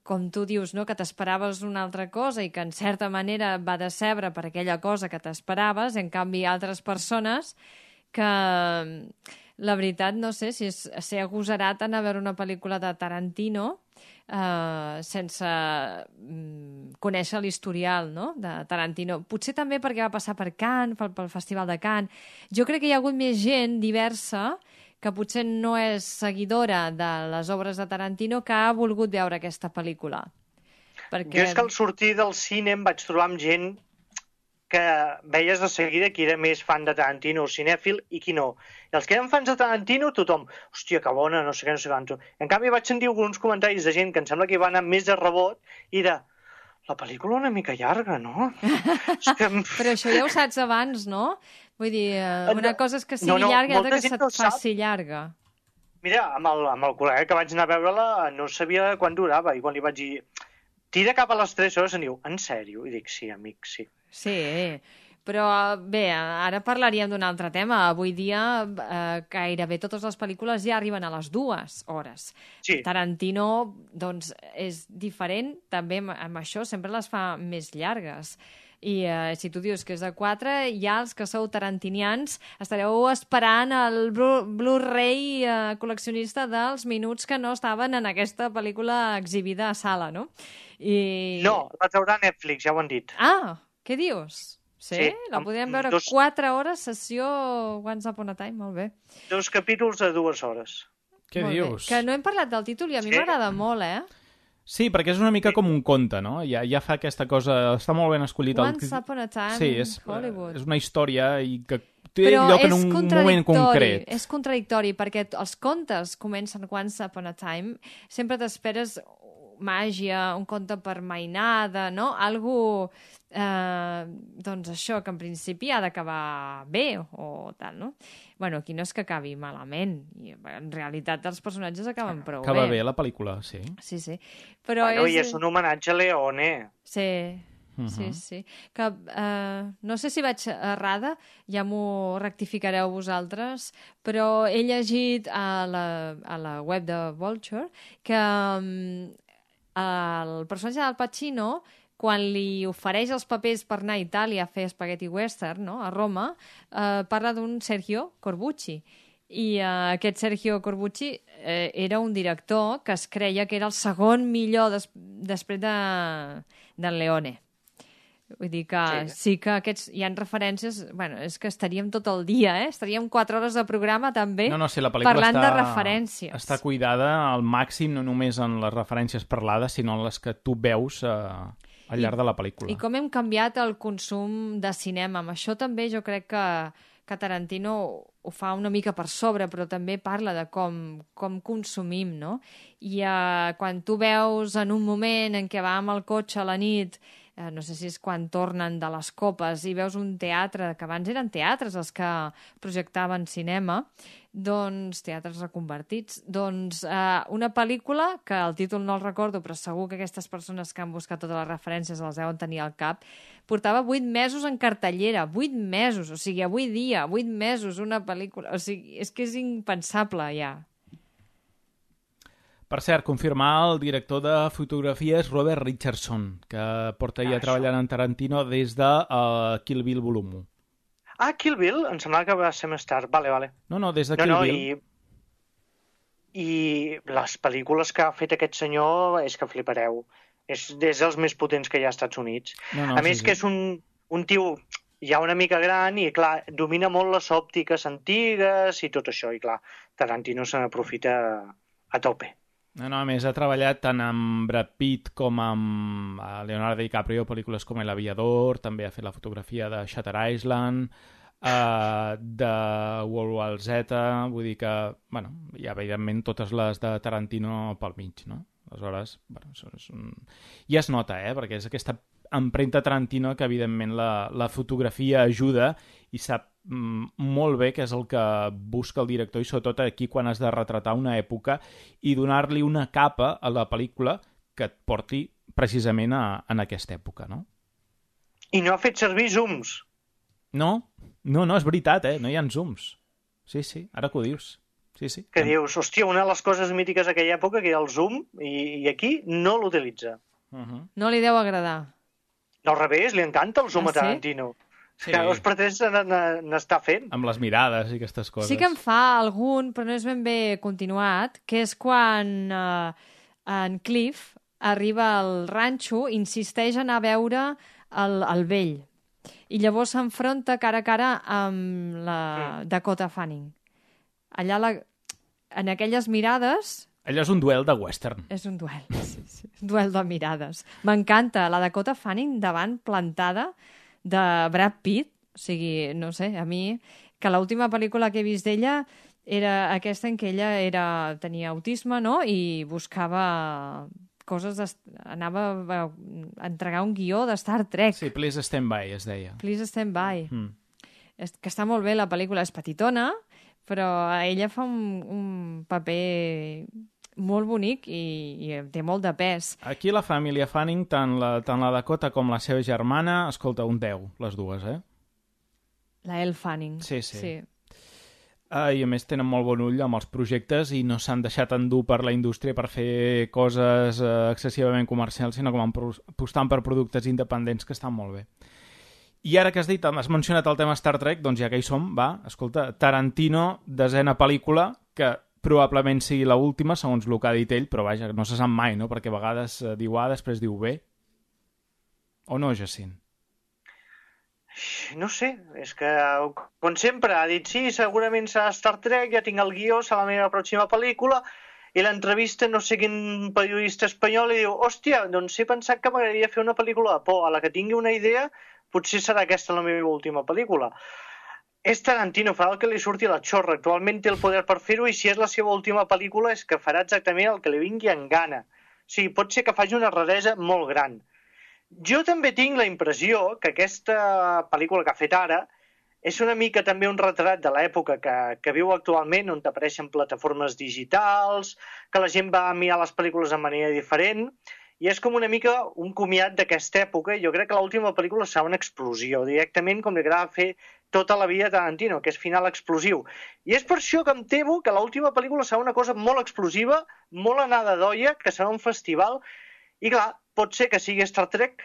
com tu dius, no? Que t'esperaves una altra cosa i que en certa manera va decebre per aquella cosa que t'esperaves, en canvi altres persones que la veritat no sé si és ser agosarat anar a veure una pel·lícula de Tarantino eh, sense mm, conèixer l'historial, no? De Tarantino. Potser també perquè va passar per Cannes, pel, pel Festival de Cannes. Jo crec que hi ha hagut més gent diversa que potser no és seguidora de les obres de Tarantino que ha volgut veure aquesta pel·lícula. Perquè... Jo és que al sortir del cine em vaig trobar amb gent que veies de seguida qui era més fan de Tarantino, cinèfil, i qui no. I els que eren fans de Tarantino, tothom, hòstia, que bona, no sé què, no sé quanto. En canvi, vaig sentir alguns comentaris de gent que em sembla que va anar més de rebot i de, la pel·lícula una mica llarga, no? És que... Però això ja ho saps abans, no? Vull dir, eh, una cosa és que sigui No, no, llarga i molta altra que gent se't no ho sap. faci llarga. Mira, amb el, amb el col·lega que vaig anar a veure-la no sabia quan durava, i quan li vaig dir, tira cap a les tres hores, em diu, en sèrio? I dic, sí, amic, sí. Sí, però bé, ara parlaríem d'un altre tema. Avui dia eh, gairebé totes les pel·lícules ja arriben a les dues hores. Sí. Tarantino, doncs, és diferent, també amb, amb això sempre les fa més llargues. I eh, si tu dius que és de quatre, ja els que sou tarantinians estareu esperant el Blu- Blu-ray eh, col·leccionista dels minuts que no estaven en aquesta pel·lícula exhibida a sala, no? I... No, la traurà Netflix, ja ho han dit. Ah, què dius? Sí? Sí, La amb podem veure dos- quatre hores, sessió Once Upon a Time, molt bé. Dos capítols de dues hores. Què Molt bé. dius? Que no hem parlat del títol i a mi Sí. m'agrada molt, eh? Sí, perquè és una mica com un conte, no? Ja, ja fa aquesta cosa... Està molt ben escollit. Once Upon a Time sí, és, Hollywood. és una història i que té Però lloc en és un moment contradictori, concret. és contradictori, perquè t- els contes comencen Once Upon a Time, sempre t'esperes màgia, un conte per mainada, no? Algo, eh, doncs això, que en principi ha d'acabar bé o tal, no? Bueno, aquí no és que acabi malament, i en realitat els personatges acaben prou Acaba bé. bé la pel·lícula, sí. Sí, sí. Però Bueno, és... I és un homenatge a Leone. Sí, Mhm. sí, sí. Que, eh, no sé si vaig errada, ja m'ho rectificareu vosaltres, però he llegit a la, a la web de Vulture que um, el personatge del Pacino, quan li ofereix els papers per anar a Itàlia a fer spaghetti western, no?, a Roma, eh, parla d'un Sergio Corbucci. I eh, aquest Sergio Corbucci eh, era un director que es creia que era el segon millor des després de, del Leone. Vull dir que sí. sí que aquests hi ha referències... Bueno, és que estaríem tot el dia, eh? Estaríem quatre hores de programa, també, No, no, sí, la pel·lícula parlant està, de referències. està cuidada al màxim, no només en les referències parlades, sinó en les que tu veus eh, al llarg de la pel·lícula. I com hem canviat el consum de cinema. Amb això també jo crec que, que Tarantino ho fa una mica per sobre, però també parla de com, com consumim, no? I eh, quan tu veus en un moment en què va amb el cotxe a la nit, eh, no sé si és quan tornen de les copes, i veus un teatre, que abans eren teatres els que projectaven cinema, doncs, teatres reconvertits, doncs eh, una pel·lícula, que el títol no el recordo, però segur que aquestes persones que han buscat totes les referències les deuen tenir al cap, portava vuit mesos en cartellera, vuit mesos, o sigui, avui dia, vuit mesos, una pel·lícula, o sigui, és que és impensable, ja. Per cert, confirmar el director de fotografia és Robert Richardson, que porta ja Ah, treballant en Tarantino des de uh, Kill Bill volum u. Ah, Kill Bill? Em semblava que va ser més tard. Vale, vale. No, no, des de No, Kill no, Bill. i... I les pel·lícules que ha fet aquest senyor és que flipareu. És, és dels més potents que hi ha als Estats Units. No, no, a sí, més sí. que és un, un tio ja una mica gran i, clar, domina molt les òptiques antigues i tot això. I, clar, Tarantino se n'aprofita a tope. No, no, a més ha treballat tant amb Brad Pitt com amb eh, Leonardo DiCaprio, pel·lícules com El Aviador, també ha fet la fotografia de Shutter Island, uh, de World War Z, vull dir que, bueno, hi ha evidentment totes les de Tarantino pel mig, no? Aleshores, bueno, és, és un... ja es nota, eh?, perquè és aquesta empremta Tarantino que, evidentment, la, la fotografia ajuda i sap mm, molt bé què és el que busca el director i, sobretot, aquí quan has de retratar una època i donar-li una capa a la pel·lícula que et porti precisament a, en aquesta època, no? I no ha fet servir zooms. No, no, no, és veritat, eh? No hi ha zooms. Sí, sí, ara que ho dius. Sí, sí. Que dius, hòstia, una de les coses mítiques d'aquella època que era el zoom i, i aquí no l'utilitza. Uh -huh. No li deu agradar. No, al revés, li encanta el zoom Ah, a sí? Tarantino. Sí. Que els pretens n'està fent. Amb les mirades i aquestes coses. Sí que en fa algun, però no és ben bé continuat, que és quan eh, en Cliff arriba al ranxo, insisteix en anar a veure el, el vell. I llavors s'enfronta cara a cara amb la Dakota Fanning. Allà, la, en aquelles mirades, Allò és un duel de western. és un duel. Sí, sí. Un duel de mirades. M'encanta la Dakota Fanning davant plantada de Brad Pitt. O sigui, no sé, a mi, que l'última pel·lícula que he vist d'ella era aquesta en què ella era, tenia autisme, no?, i buscava coses, de, anava a entregar un guió de Star Trek. Sí, Please Stand By, es deia. Please Stand By. Mm. És, que està molt bé, la pel·lícula és petitona, però ella fa un, un paper molt bonic i, i té molt de pes. Aquí la família Fanning, tant la, tant la Dakota com la seva germana, escolta, un deu, les dues, eh? La Elle Fanning. Sí, sí. sí. Uh, I a més tenen molt bon ull amb els projectes i no s'han deixat endur per la indústria per fer coses uh, excessivament comercials, sinó com apostant per productes independents que estan molt bé. I ara que has dit, has mencionat el tema Star Trek, doncs ja que hi som, va, escolta, Tarantino, desena pel·lícula, que probablement sigui l'última, segons el que ha dit ell, però vaja, no se sap mai, no?, perquè a vegades uh, diu A, després diu B. O no, Jacint? No sé, és que, com sempre, ha dit sí, segurament serà Star Trek, ja tinc el guió, serà la meva pròxima pel·lícula, i l'entrevista no sé quin periodista espanyol i diu, hòstia, doncs he pensat que m'agradaria fer una pel·lícula de por, a la que tingui una idea, potser serà aquesta la meva última pel·lícula. És Tarantino, farà el que li surti a la xorra, actualment té el poder per fer-ho i si és la seva última pel·lícula és que farà exactament el que li vingui en gana. O sigui, pot ser que faci una raresa molt gran. Jo també tinc la impressió que aquesta pel·lícula que ha fet ara és una mica també un retrat de l'època que, que viu actualment, on apareixen plataformes digitals, que la gent va mirar les pel·lícules de manera diferent, i és com una mica un comiat d'aquesta època, i jo crec que l'última pel·lícula serà una explosió, directament com li agrada fer tota la vida a Tarantino, que és final explosiu. I és per això que em temo que l'última pel·lícula serà una cosa molt explosiva, molt anada d'olla, que serà un festival, i clar, pot ser que sigui Star Trek,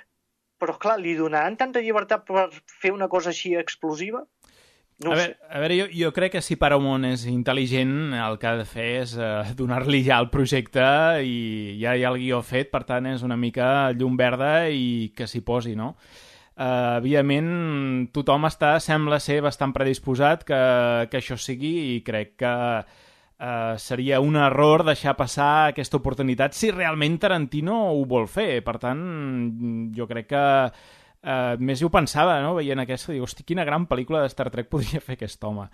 però clar, li donaran tanta llibertat per fer una cosa així explosiva? No a, ho veure, sé. a veure, jo, jo crec que si Paramount és intel·ligent, el que ha de fer és uh, donar-li ja el projecte i ja hi ha el guió fet, per tant és una mica llum verda i que s'hi posi, no? Uh, evidentment, tothom està, sembla ser bastant predisposat que, que això sigui i crec que Uh, seria un error deixar passar aquesta oportunitat si realment Tarantino ho vol fer. Per tant, jo crec que uh, més ho pensava, no?, veient aquesta, dic, hosti, quina gran pel·lícula de Star Trek podria fer aquest home,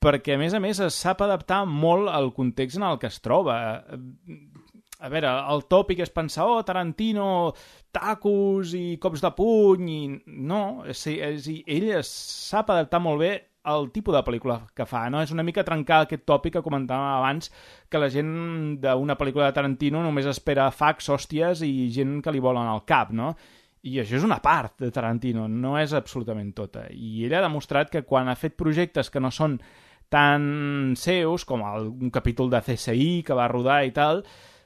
perquè a més a més es sap adaptar molt al context en el que es troba. A veure, el tòpic és pensar, oh, Tarantino, tacos i cops de puny, i no, és, és, ell es sap adaptar molt bé el tipus de pel·lícula que fa, no? És una mica trencar aquest tòpic que comentàvem abans, que la gent d'una pel·lícula de Tarantino només espera fax, hòsties i gent que li volen al cap, no? I això és una part de Tarantino, no és absolutament tota. I ell ha demostrat que quan ha fet projectes que no són tan seus, com el, un capítol de C S I que va rodar i tal,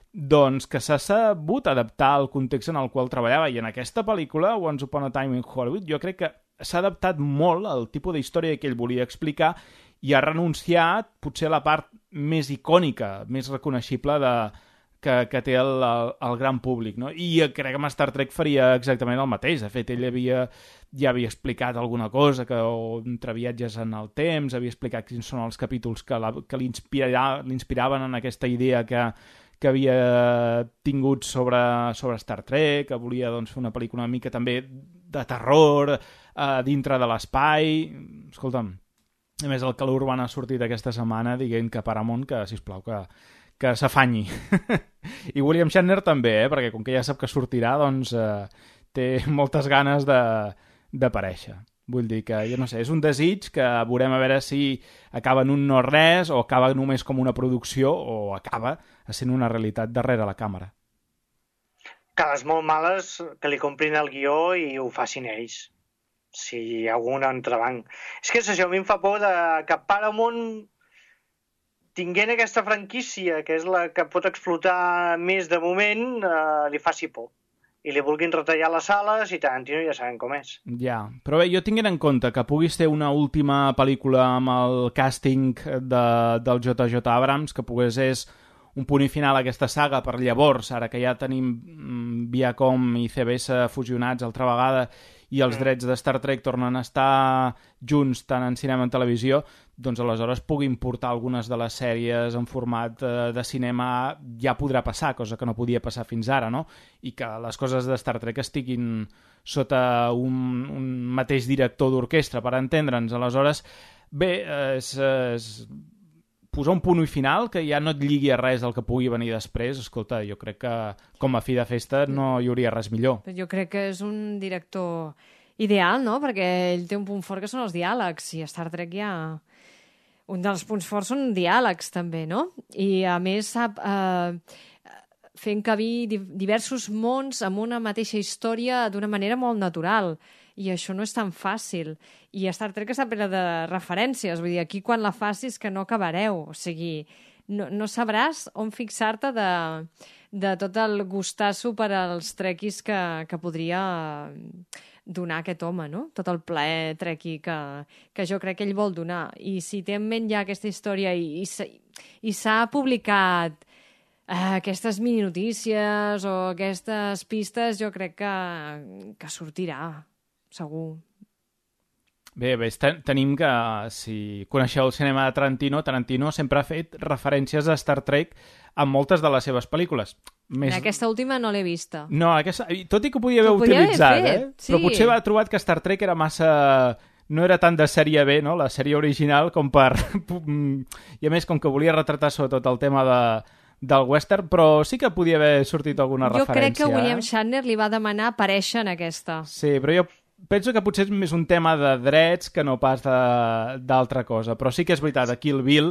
doncs que s'ha sabut adaptar al context en el qual treballava. I en aquesta pel·lícula, Once Upon a Time in Hollywood, jo crec que s'ha adaptat molt al tipus d'història que ell volia explicar i ha renunciat potser a la part més icònica, més reconeixible de, que, que té el, el, el gran públic, no? I crec que amb Star Trek faria exactament el mateix. De fet, ell havia, ja havia explicat alguna cosa, que o, entre viatges en el temps, havia explicat quins són els capítols que, la, que l'inspiraven en aquesta idea que, que havia tingut sobre, sobre Star Trek, que volia doncs, fer una pel·lícula una mica també de terror, eh, dintre de l'espai. Escolta'm, a més el Calor Urbana ha sortit aquesta setmana dient que Paramount, que, sisplau, que, que s'afanyi. I William Shatner també, eh, perquè com que ja sap que sortirà, doncs eh, té moltes ganes de, d'aparèixer. Vull dir que, jo no sé, és un desig que veurem a veure si acaba en un no-res o acaba només com una producció o acaba sent una realitat darrere la càmera. Que les molt males que li comprin el guió i ho facin ells. Si hi ha algun entrebanc. És que és això, a mi em fa por de que Paramount, tinguent aquesta franquícia, que és la que pot explotar més de moment, eh, li faci por. I li vulguin retallar les sales i Tarantino ja sabem com és. Ja, però bé, jo tinguent en compte que puguis fer una última pel·lícula amb el càsting de, del J J Abrams, que pogués és un punt i final a aquesta saga per llavors, ara que ja tenim mm, Viacom i C B S fusionats altra vegada i els drets de Star Trek tornen a estar junts tant en cinema com en televisió, doncs aleshores puguin portar algunes de les sèries en format eh, de cinema ja podrà passar, cosa que no podia passar fins ara, no? I que les coses de Star Trek estiguin sota un, un mateix director d'orquestra, per entendre'ns. Aleshores, bé, és, és posar un punt i final que ja no et lligui a res del que pugui venir després. Escolta, jo crec que com a fi de festa no hi hauria res millor. Jo crec que és un director ideal, no? Perquè ell té un punt fort que són els diàlegs, i a Star Trek ja... Un dels punts forts són diàlegs, també, no? I, a més, sap eh, fer encabir diversos mons amb una mateixa història d'una manera molt natural. I això no és tan fàcil. I Star Trek està plena de referències. Vull dir, aquí quan la facis que no acabareu. O sigui, no, no sabràs on fixar-te de, de tot el gustasso per als trequis que, que podria donar aquest home, no? Tot el plaer trequi que, que jo crec que ell vol donar. I si té en ment ja aquesta història i, i s'ha publicat eh, aquestes mini-notícies o aquestes pistes, jo crec que, que sortirà, segur. Bé, bé, ten tenim que, si coneixeu el cinema de Tarantino, Tarantino sempre ha fet referències a Star Trek en moltes de les seves pel·lícules. Més... Aquesta última no l'he vista. No, aquesta... tot i que ho podia haver Ho podia utilitzat, haver fet, eh? sí. Però potser va trobat que Star Trek era massa... No era tant de sèrie B, no?, la sèrie original, com per... I a més, com que volia retratar sobretot el tema de... del western, però sí que podia haver sortit alguna jo referència. Jo crec que William eh? Shatner li va demanar aparèixer en aquesta. Sí, però jo penso que potser és més un tema de drets que no pas d'altra cosa. Però sí que és veritat, a Kill Bill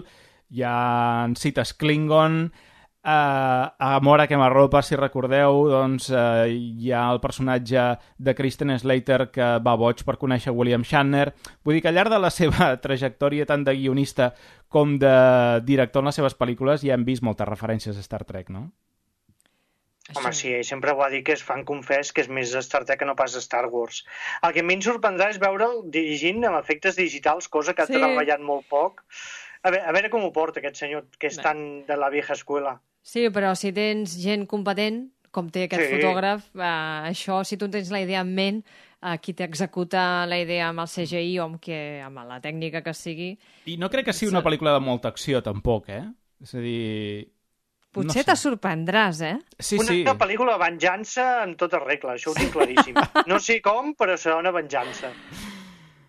hi ha cites Klingon, eh, a Mora que m'arropa, si recordeu, doncs eh, hi ha el personatge de Kristen Slater que va boig per conèixer William Shatner. Vull dir que al llarg de la seva trajectòria tant de guionista com de director en les seves pel·lícules ja hem vist moltes referències a Star Trek, no? Home, sí, ell sempre ho ha dit que és fan confés, que és més Star Trek que no pas Star Wars. El que a mi em sorprendrà és veure'l dirigint amb efectes digitals, cosa que Sí. ha treballat molt poc. A veure, a veure com ho porta aquest senyor, que és Bé. tan de la vieja escuela. Sí, però si tens gent competent, com té aquest Sí. fotògraf, eh, això, si tu tens la idea en ment, eh, qui t'executa la idea amb el C G I o amb, que, amb la tècnica que sigui... I no crec que sigui una pel·lícula de molta acció, tampoc, eh? És a dir... Potser No sé. te sorprendràs, eh? Sí, una sí. pel·lícula de venjança en tota regla, això ho tinc claríssim. No sé com, però serà una venjança.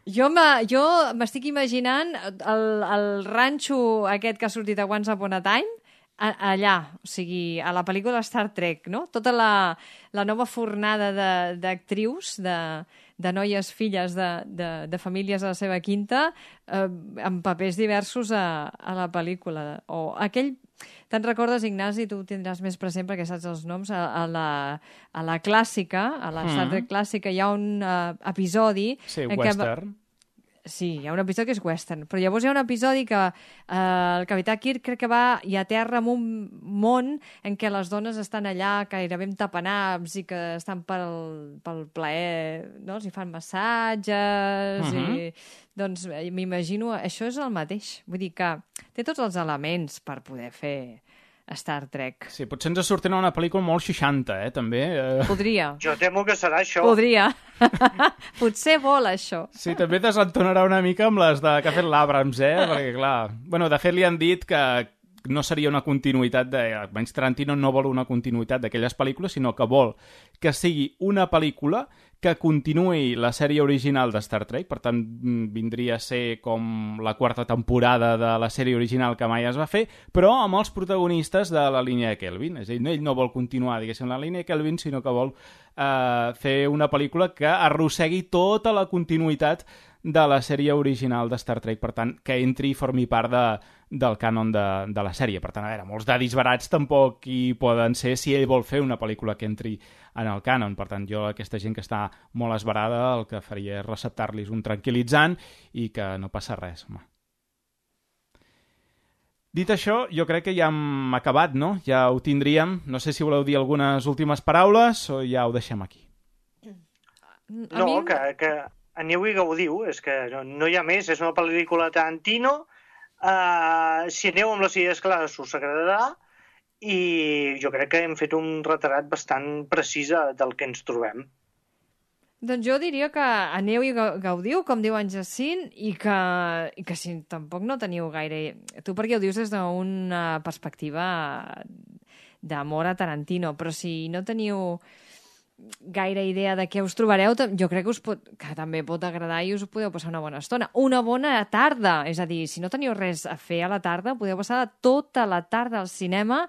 Jo me- jo m'estic imaginant el, el ranxo aquest que ha sortit a Once Upon a Time, a, allà, o sigui, a la pel·lícula Star Trek, no? Tota la, la nova fornada de- d'actrius, de, de noies filles de, de, de famílies de la seva quinta, eh, amb papers diversos a, a la pel·lícula. O aquell... Te'n recordes, Ignasi, tu ho tindràs més present perquè saps els noms, a, a, la, a la clàssica, a la Star Trek clàssica, hi ha un uh, episodi... Sí, en què- western. Sí, hi ha un episodi que és western, però llavors hi ha un episodi que eh, el capità Kirk crec que va i aterra en un món en què les dones estan allà gairebé amb tapanabs i que estan pel, pel plaer, no? Els hi fan massatges Mhm. i... Doncs eh, m'imagino, això és el mateix. Vull dir que té tots els elements per poder fer Star Trek. Sí, potser ens sortirà una pel·lícula molt seixanta, eh, també. Eh... Podria. Jo temo que serà això. Podria. Potser vol això. Sí, també desentonarà una mica amb les de que ha fet l'Abrams, eh? Perquè, clar... Bueno, de fet, li han dit que no seria una continuïtat de... Almenys Tarantino no vol una continuïtat d'aquelles pel·lícules, sinó que vol que sigui una pel·lícula que continuï la sèrie original de Star Trek, per tant, vindria a ser com la quarta temporada de la sèrie original que mai es va fer, però amb els protagonistes de la línia de Kelvin. És a dir, ell no vol continuar, diguéssim, la línia de Kelvin, sinó que vol eh, fer una pel·lícula que arrossegui tota la continuïtat de la sèrie original de Star Trek, per tant, que entri i formi part de, del cànon de, de la sèrie. Per tant, a veure, molts dadis barats tampoc hi poden ser si ell vol fer una pel·lícula que entri en el cànon. Per tant, jo, aquesta gent que està molt esbarada, el que faria és receptar-los un tranquil·litzant i que no passa res, home. Dit això, jo crec que ja hem acabat, no? Ja ho tindríem. No sé si voleu dir algunes últimes paraules o ja ho deixem aquí. A No, mi... que, que aneu i gaudiu, és que no, no hi ha més, és una pel·lícula de Tarantino, uh, si aneu amb les idees clares us agradarà, i jo crec que hem fet un retrat bastant precís del que ens trobem. Doncs jo diria que aneu i ga- gaudiu, com diu en Jacint, i que, i que si tampoc no teniu gaire... Tu perquè ho dius des d'una perspectiva d'amor a Tarantino, però si no teniu gaire idea de què us trobareu, tam- jo crec que us pot, que també pot agradar i us podeu passar una bona estona. Una bona tarda, és a dir, si no teniu res a fer a la tarda, podeu passar tota la tarda al cinema,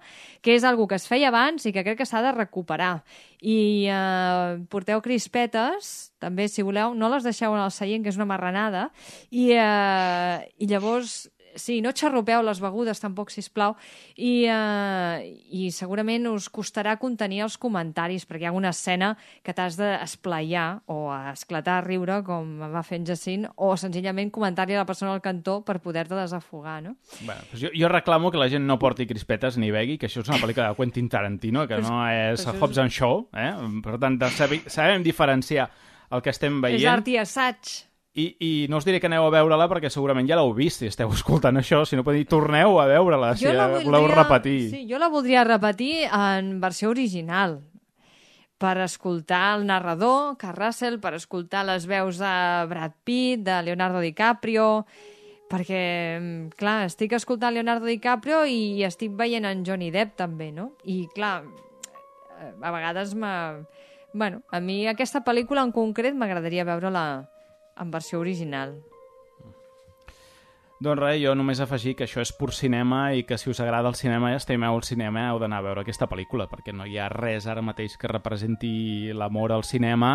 que és algo que es feia abans i que crec que s'ha de recuperar. I eh, porteu crispetes, també, si voleu, no les deixeu en el seient, que és una marranada, i, eh, i llavors... Sí, no xarrupeu les begudes tampoc, sisplau, i, eh, i segurament us costarà contenir els comentaris, perquè hi ha una escena que t'has d'esplaiar o a esclatar a riure, com va fer en Jacint, o senzillament comentar-li a la persona al cantó per poder-te desafogar, no? Bueno, doncs jo, jo reclamo que la gent no porti crispetes ni begui, que això és una pel·lícula de Quentin Tarantino, que no és però és- Hobbs and Shaw, eh? Per tant, de saber, sabem diferenciar el que estem veient. És art i assaig. I, I no us diré que aneu a veure-la perquè segurament ja l'heu vist si esteu escoltant això. Si no podeu dir, torneu a veure-la si Jo la voleu voldria- repetir. Sí, jo la voldria repetir en versió original, per escoltar el narrador, Kurt Russell, per escoltar les veus de Brad Pitt, de Leonardo DiCaprio, perquè, clar, estic escoltant Leonardo DiCaprio i estic veient en Johnny Depp també, no? I, clar, a vegades m'ha... Bueno, a mi aquesta pel·lícula en concret m'agradaria veure-la en versió original. Doncs res, jo només afegir que això és pur cinema i que si us agrada el cinema i estimeu el cinema heu d'anar a veure aquesta pel·lícula, perquè no hi ha res ara mateix que representi l'amor al cinema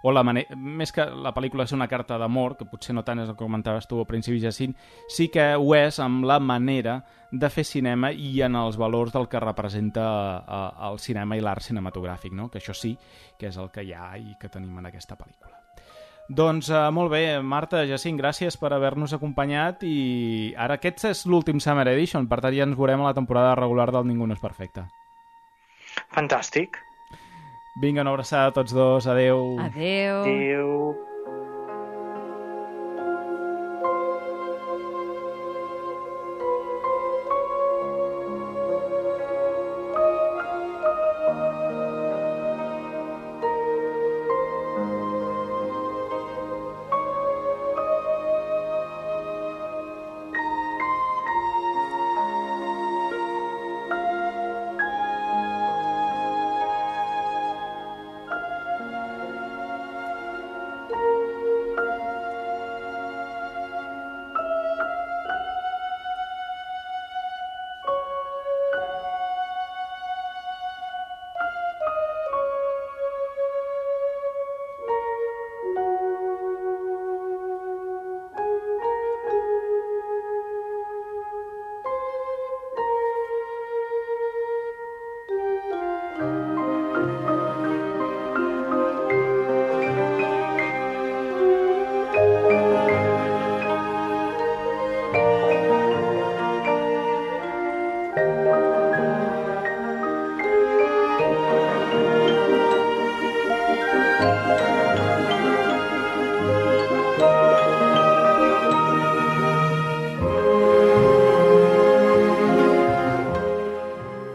o la manera... Més que la pel·lícula és una carta d'amor, que potser no tant és el que comentaves tu al principi, Jacint, sí que ho és amb la manera de fer cinema i en els valors del que representa eh, el cinema i l'art cinematogràfic, no? Que això sí que és el que hi ha i que tenim en aquesta pel·lícula. Doncs uh, molt bé, Marta, Jacint, gràcies per haver-nos acompanyat i ara aquest és l'últim Summer Edition, per tant ja ens veurem a la temporada regular del Ningú no és perfecte. Fantàstic. Vinga, una abraçada a tots dos, adeu. Adeu. Adéu.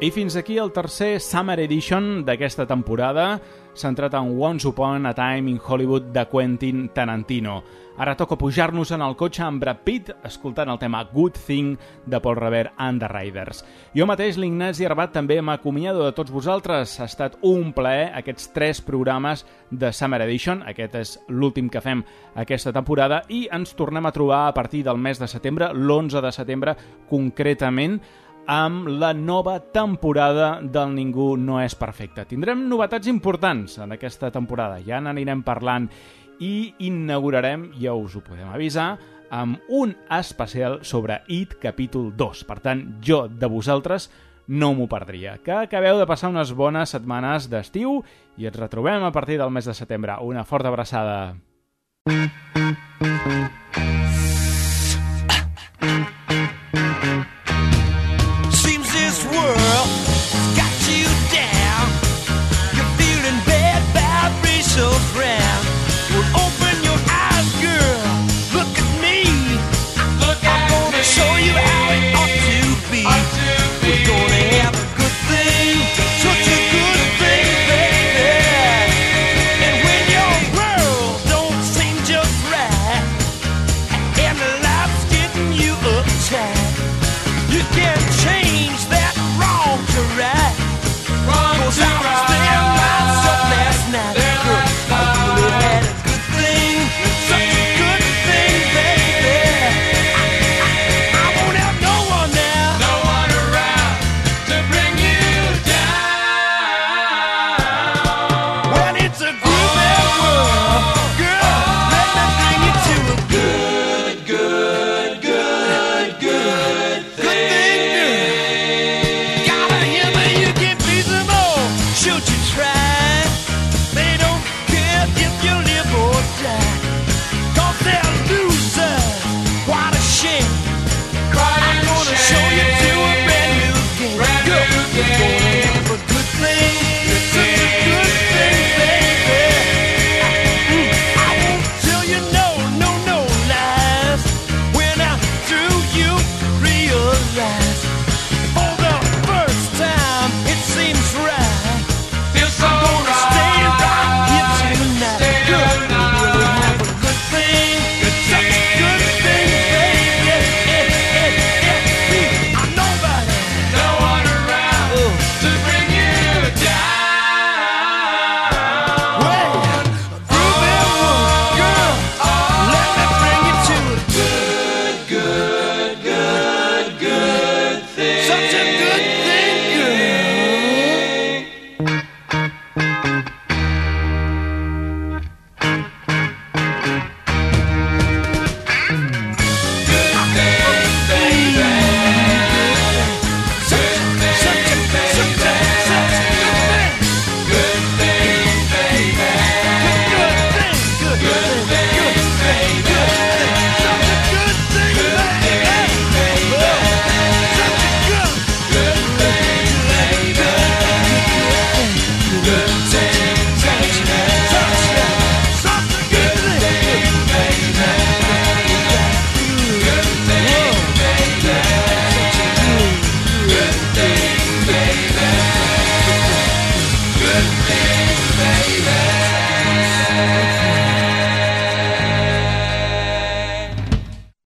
I fins aquí el tercer Summer Edition d'aquesta temporada, centrat en Once Upon a Time in Hollywood de Quentin Tarantino. Ara toca pujar-nos en el cotxe amb Brad Pitt, escoltant el tema Good Thing de Paul Revere and the Raiders. Jo mateix, l'Ignasi Arbat, també m'acomiado de tots vosaltres. Ha estat un plaer aquests tres programes de Summer Edition. Aquest és l'últim que fem aquesta temporada i ens tornem a trobar a partir del mes de setembre, l'onze de setembre concretament, amb la nova temporada del Ningú no és perfecte. Tindrem novetats importants en aquesta temporada, ja n'anirem parlant i inaugurarem, ja us ho podem avisar, amb un especial sobre It capítol dos. Per tant, jo de vosaltres no m'ho perdria. Que acabeu de passar unes bones setmanes d'estiu i ens retrobem a partir del mes de setembre. Una forta abraçada.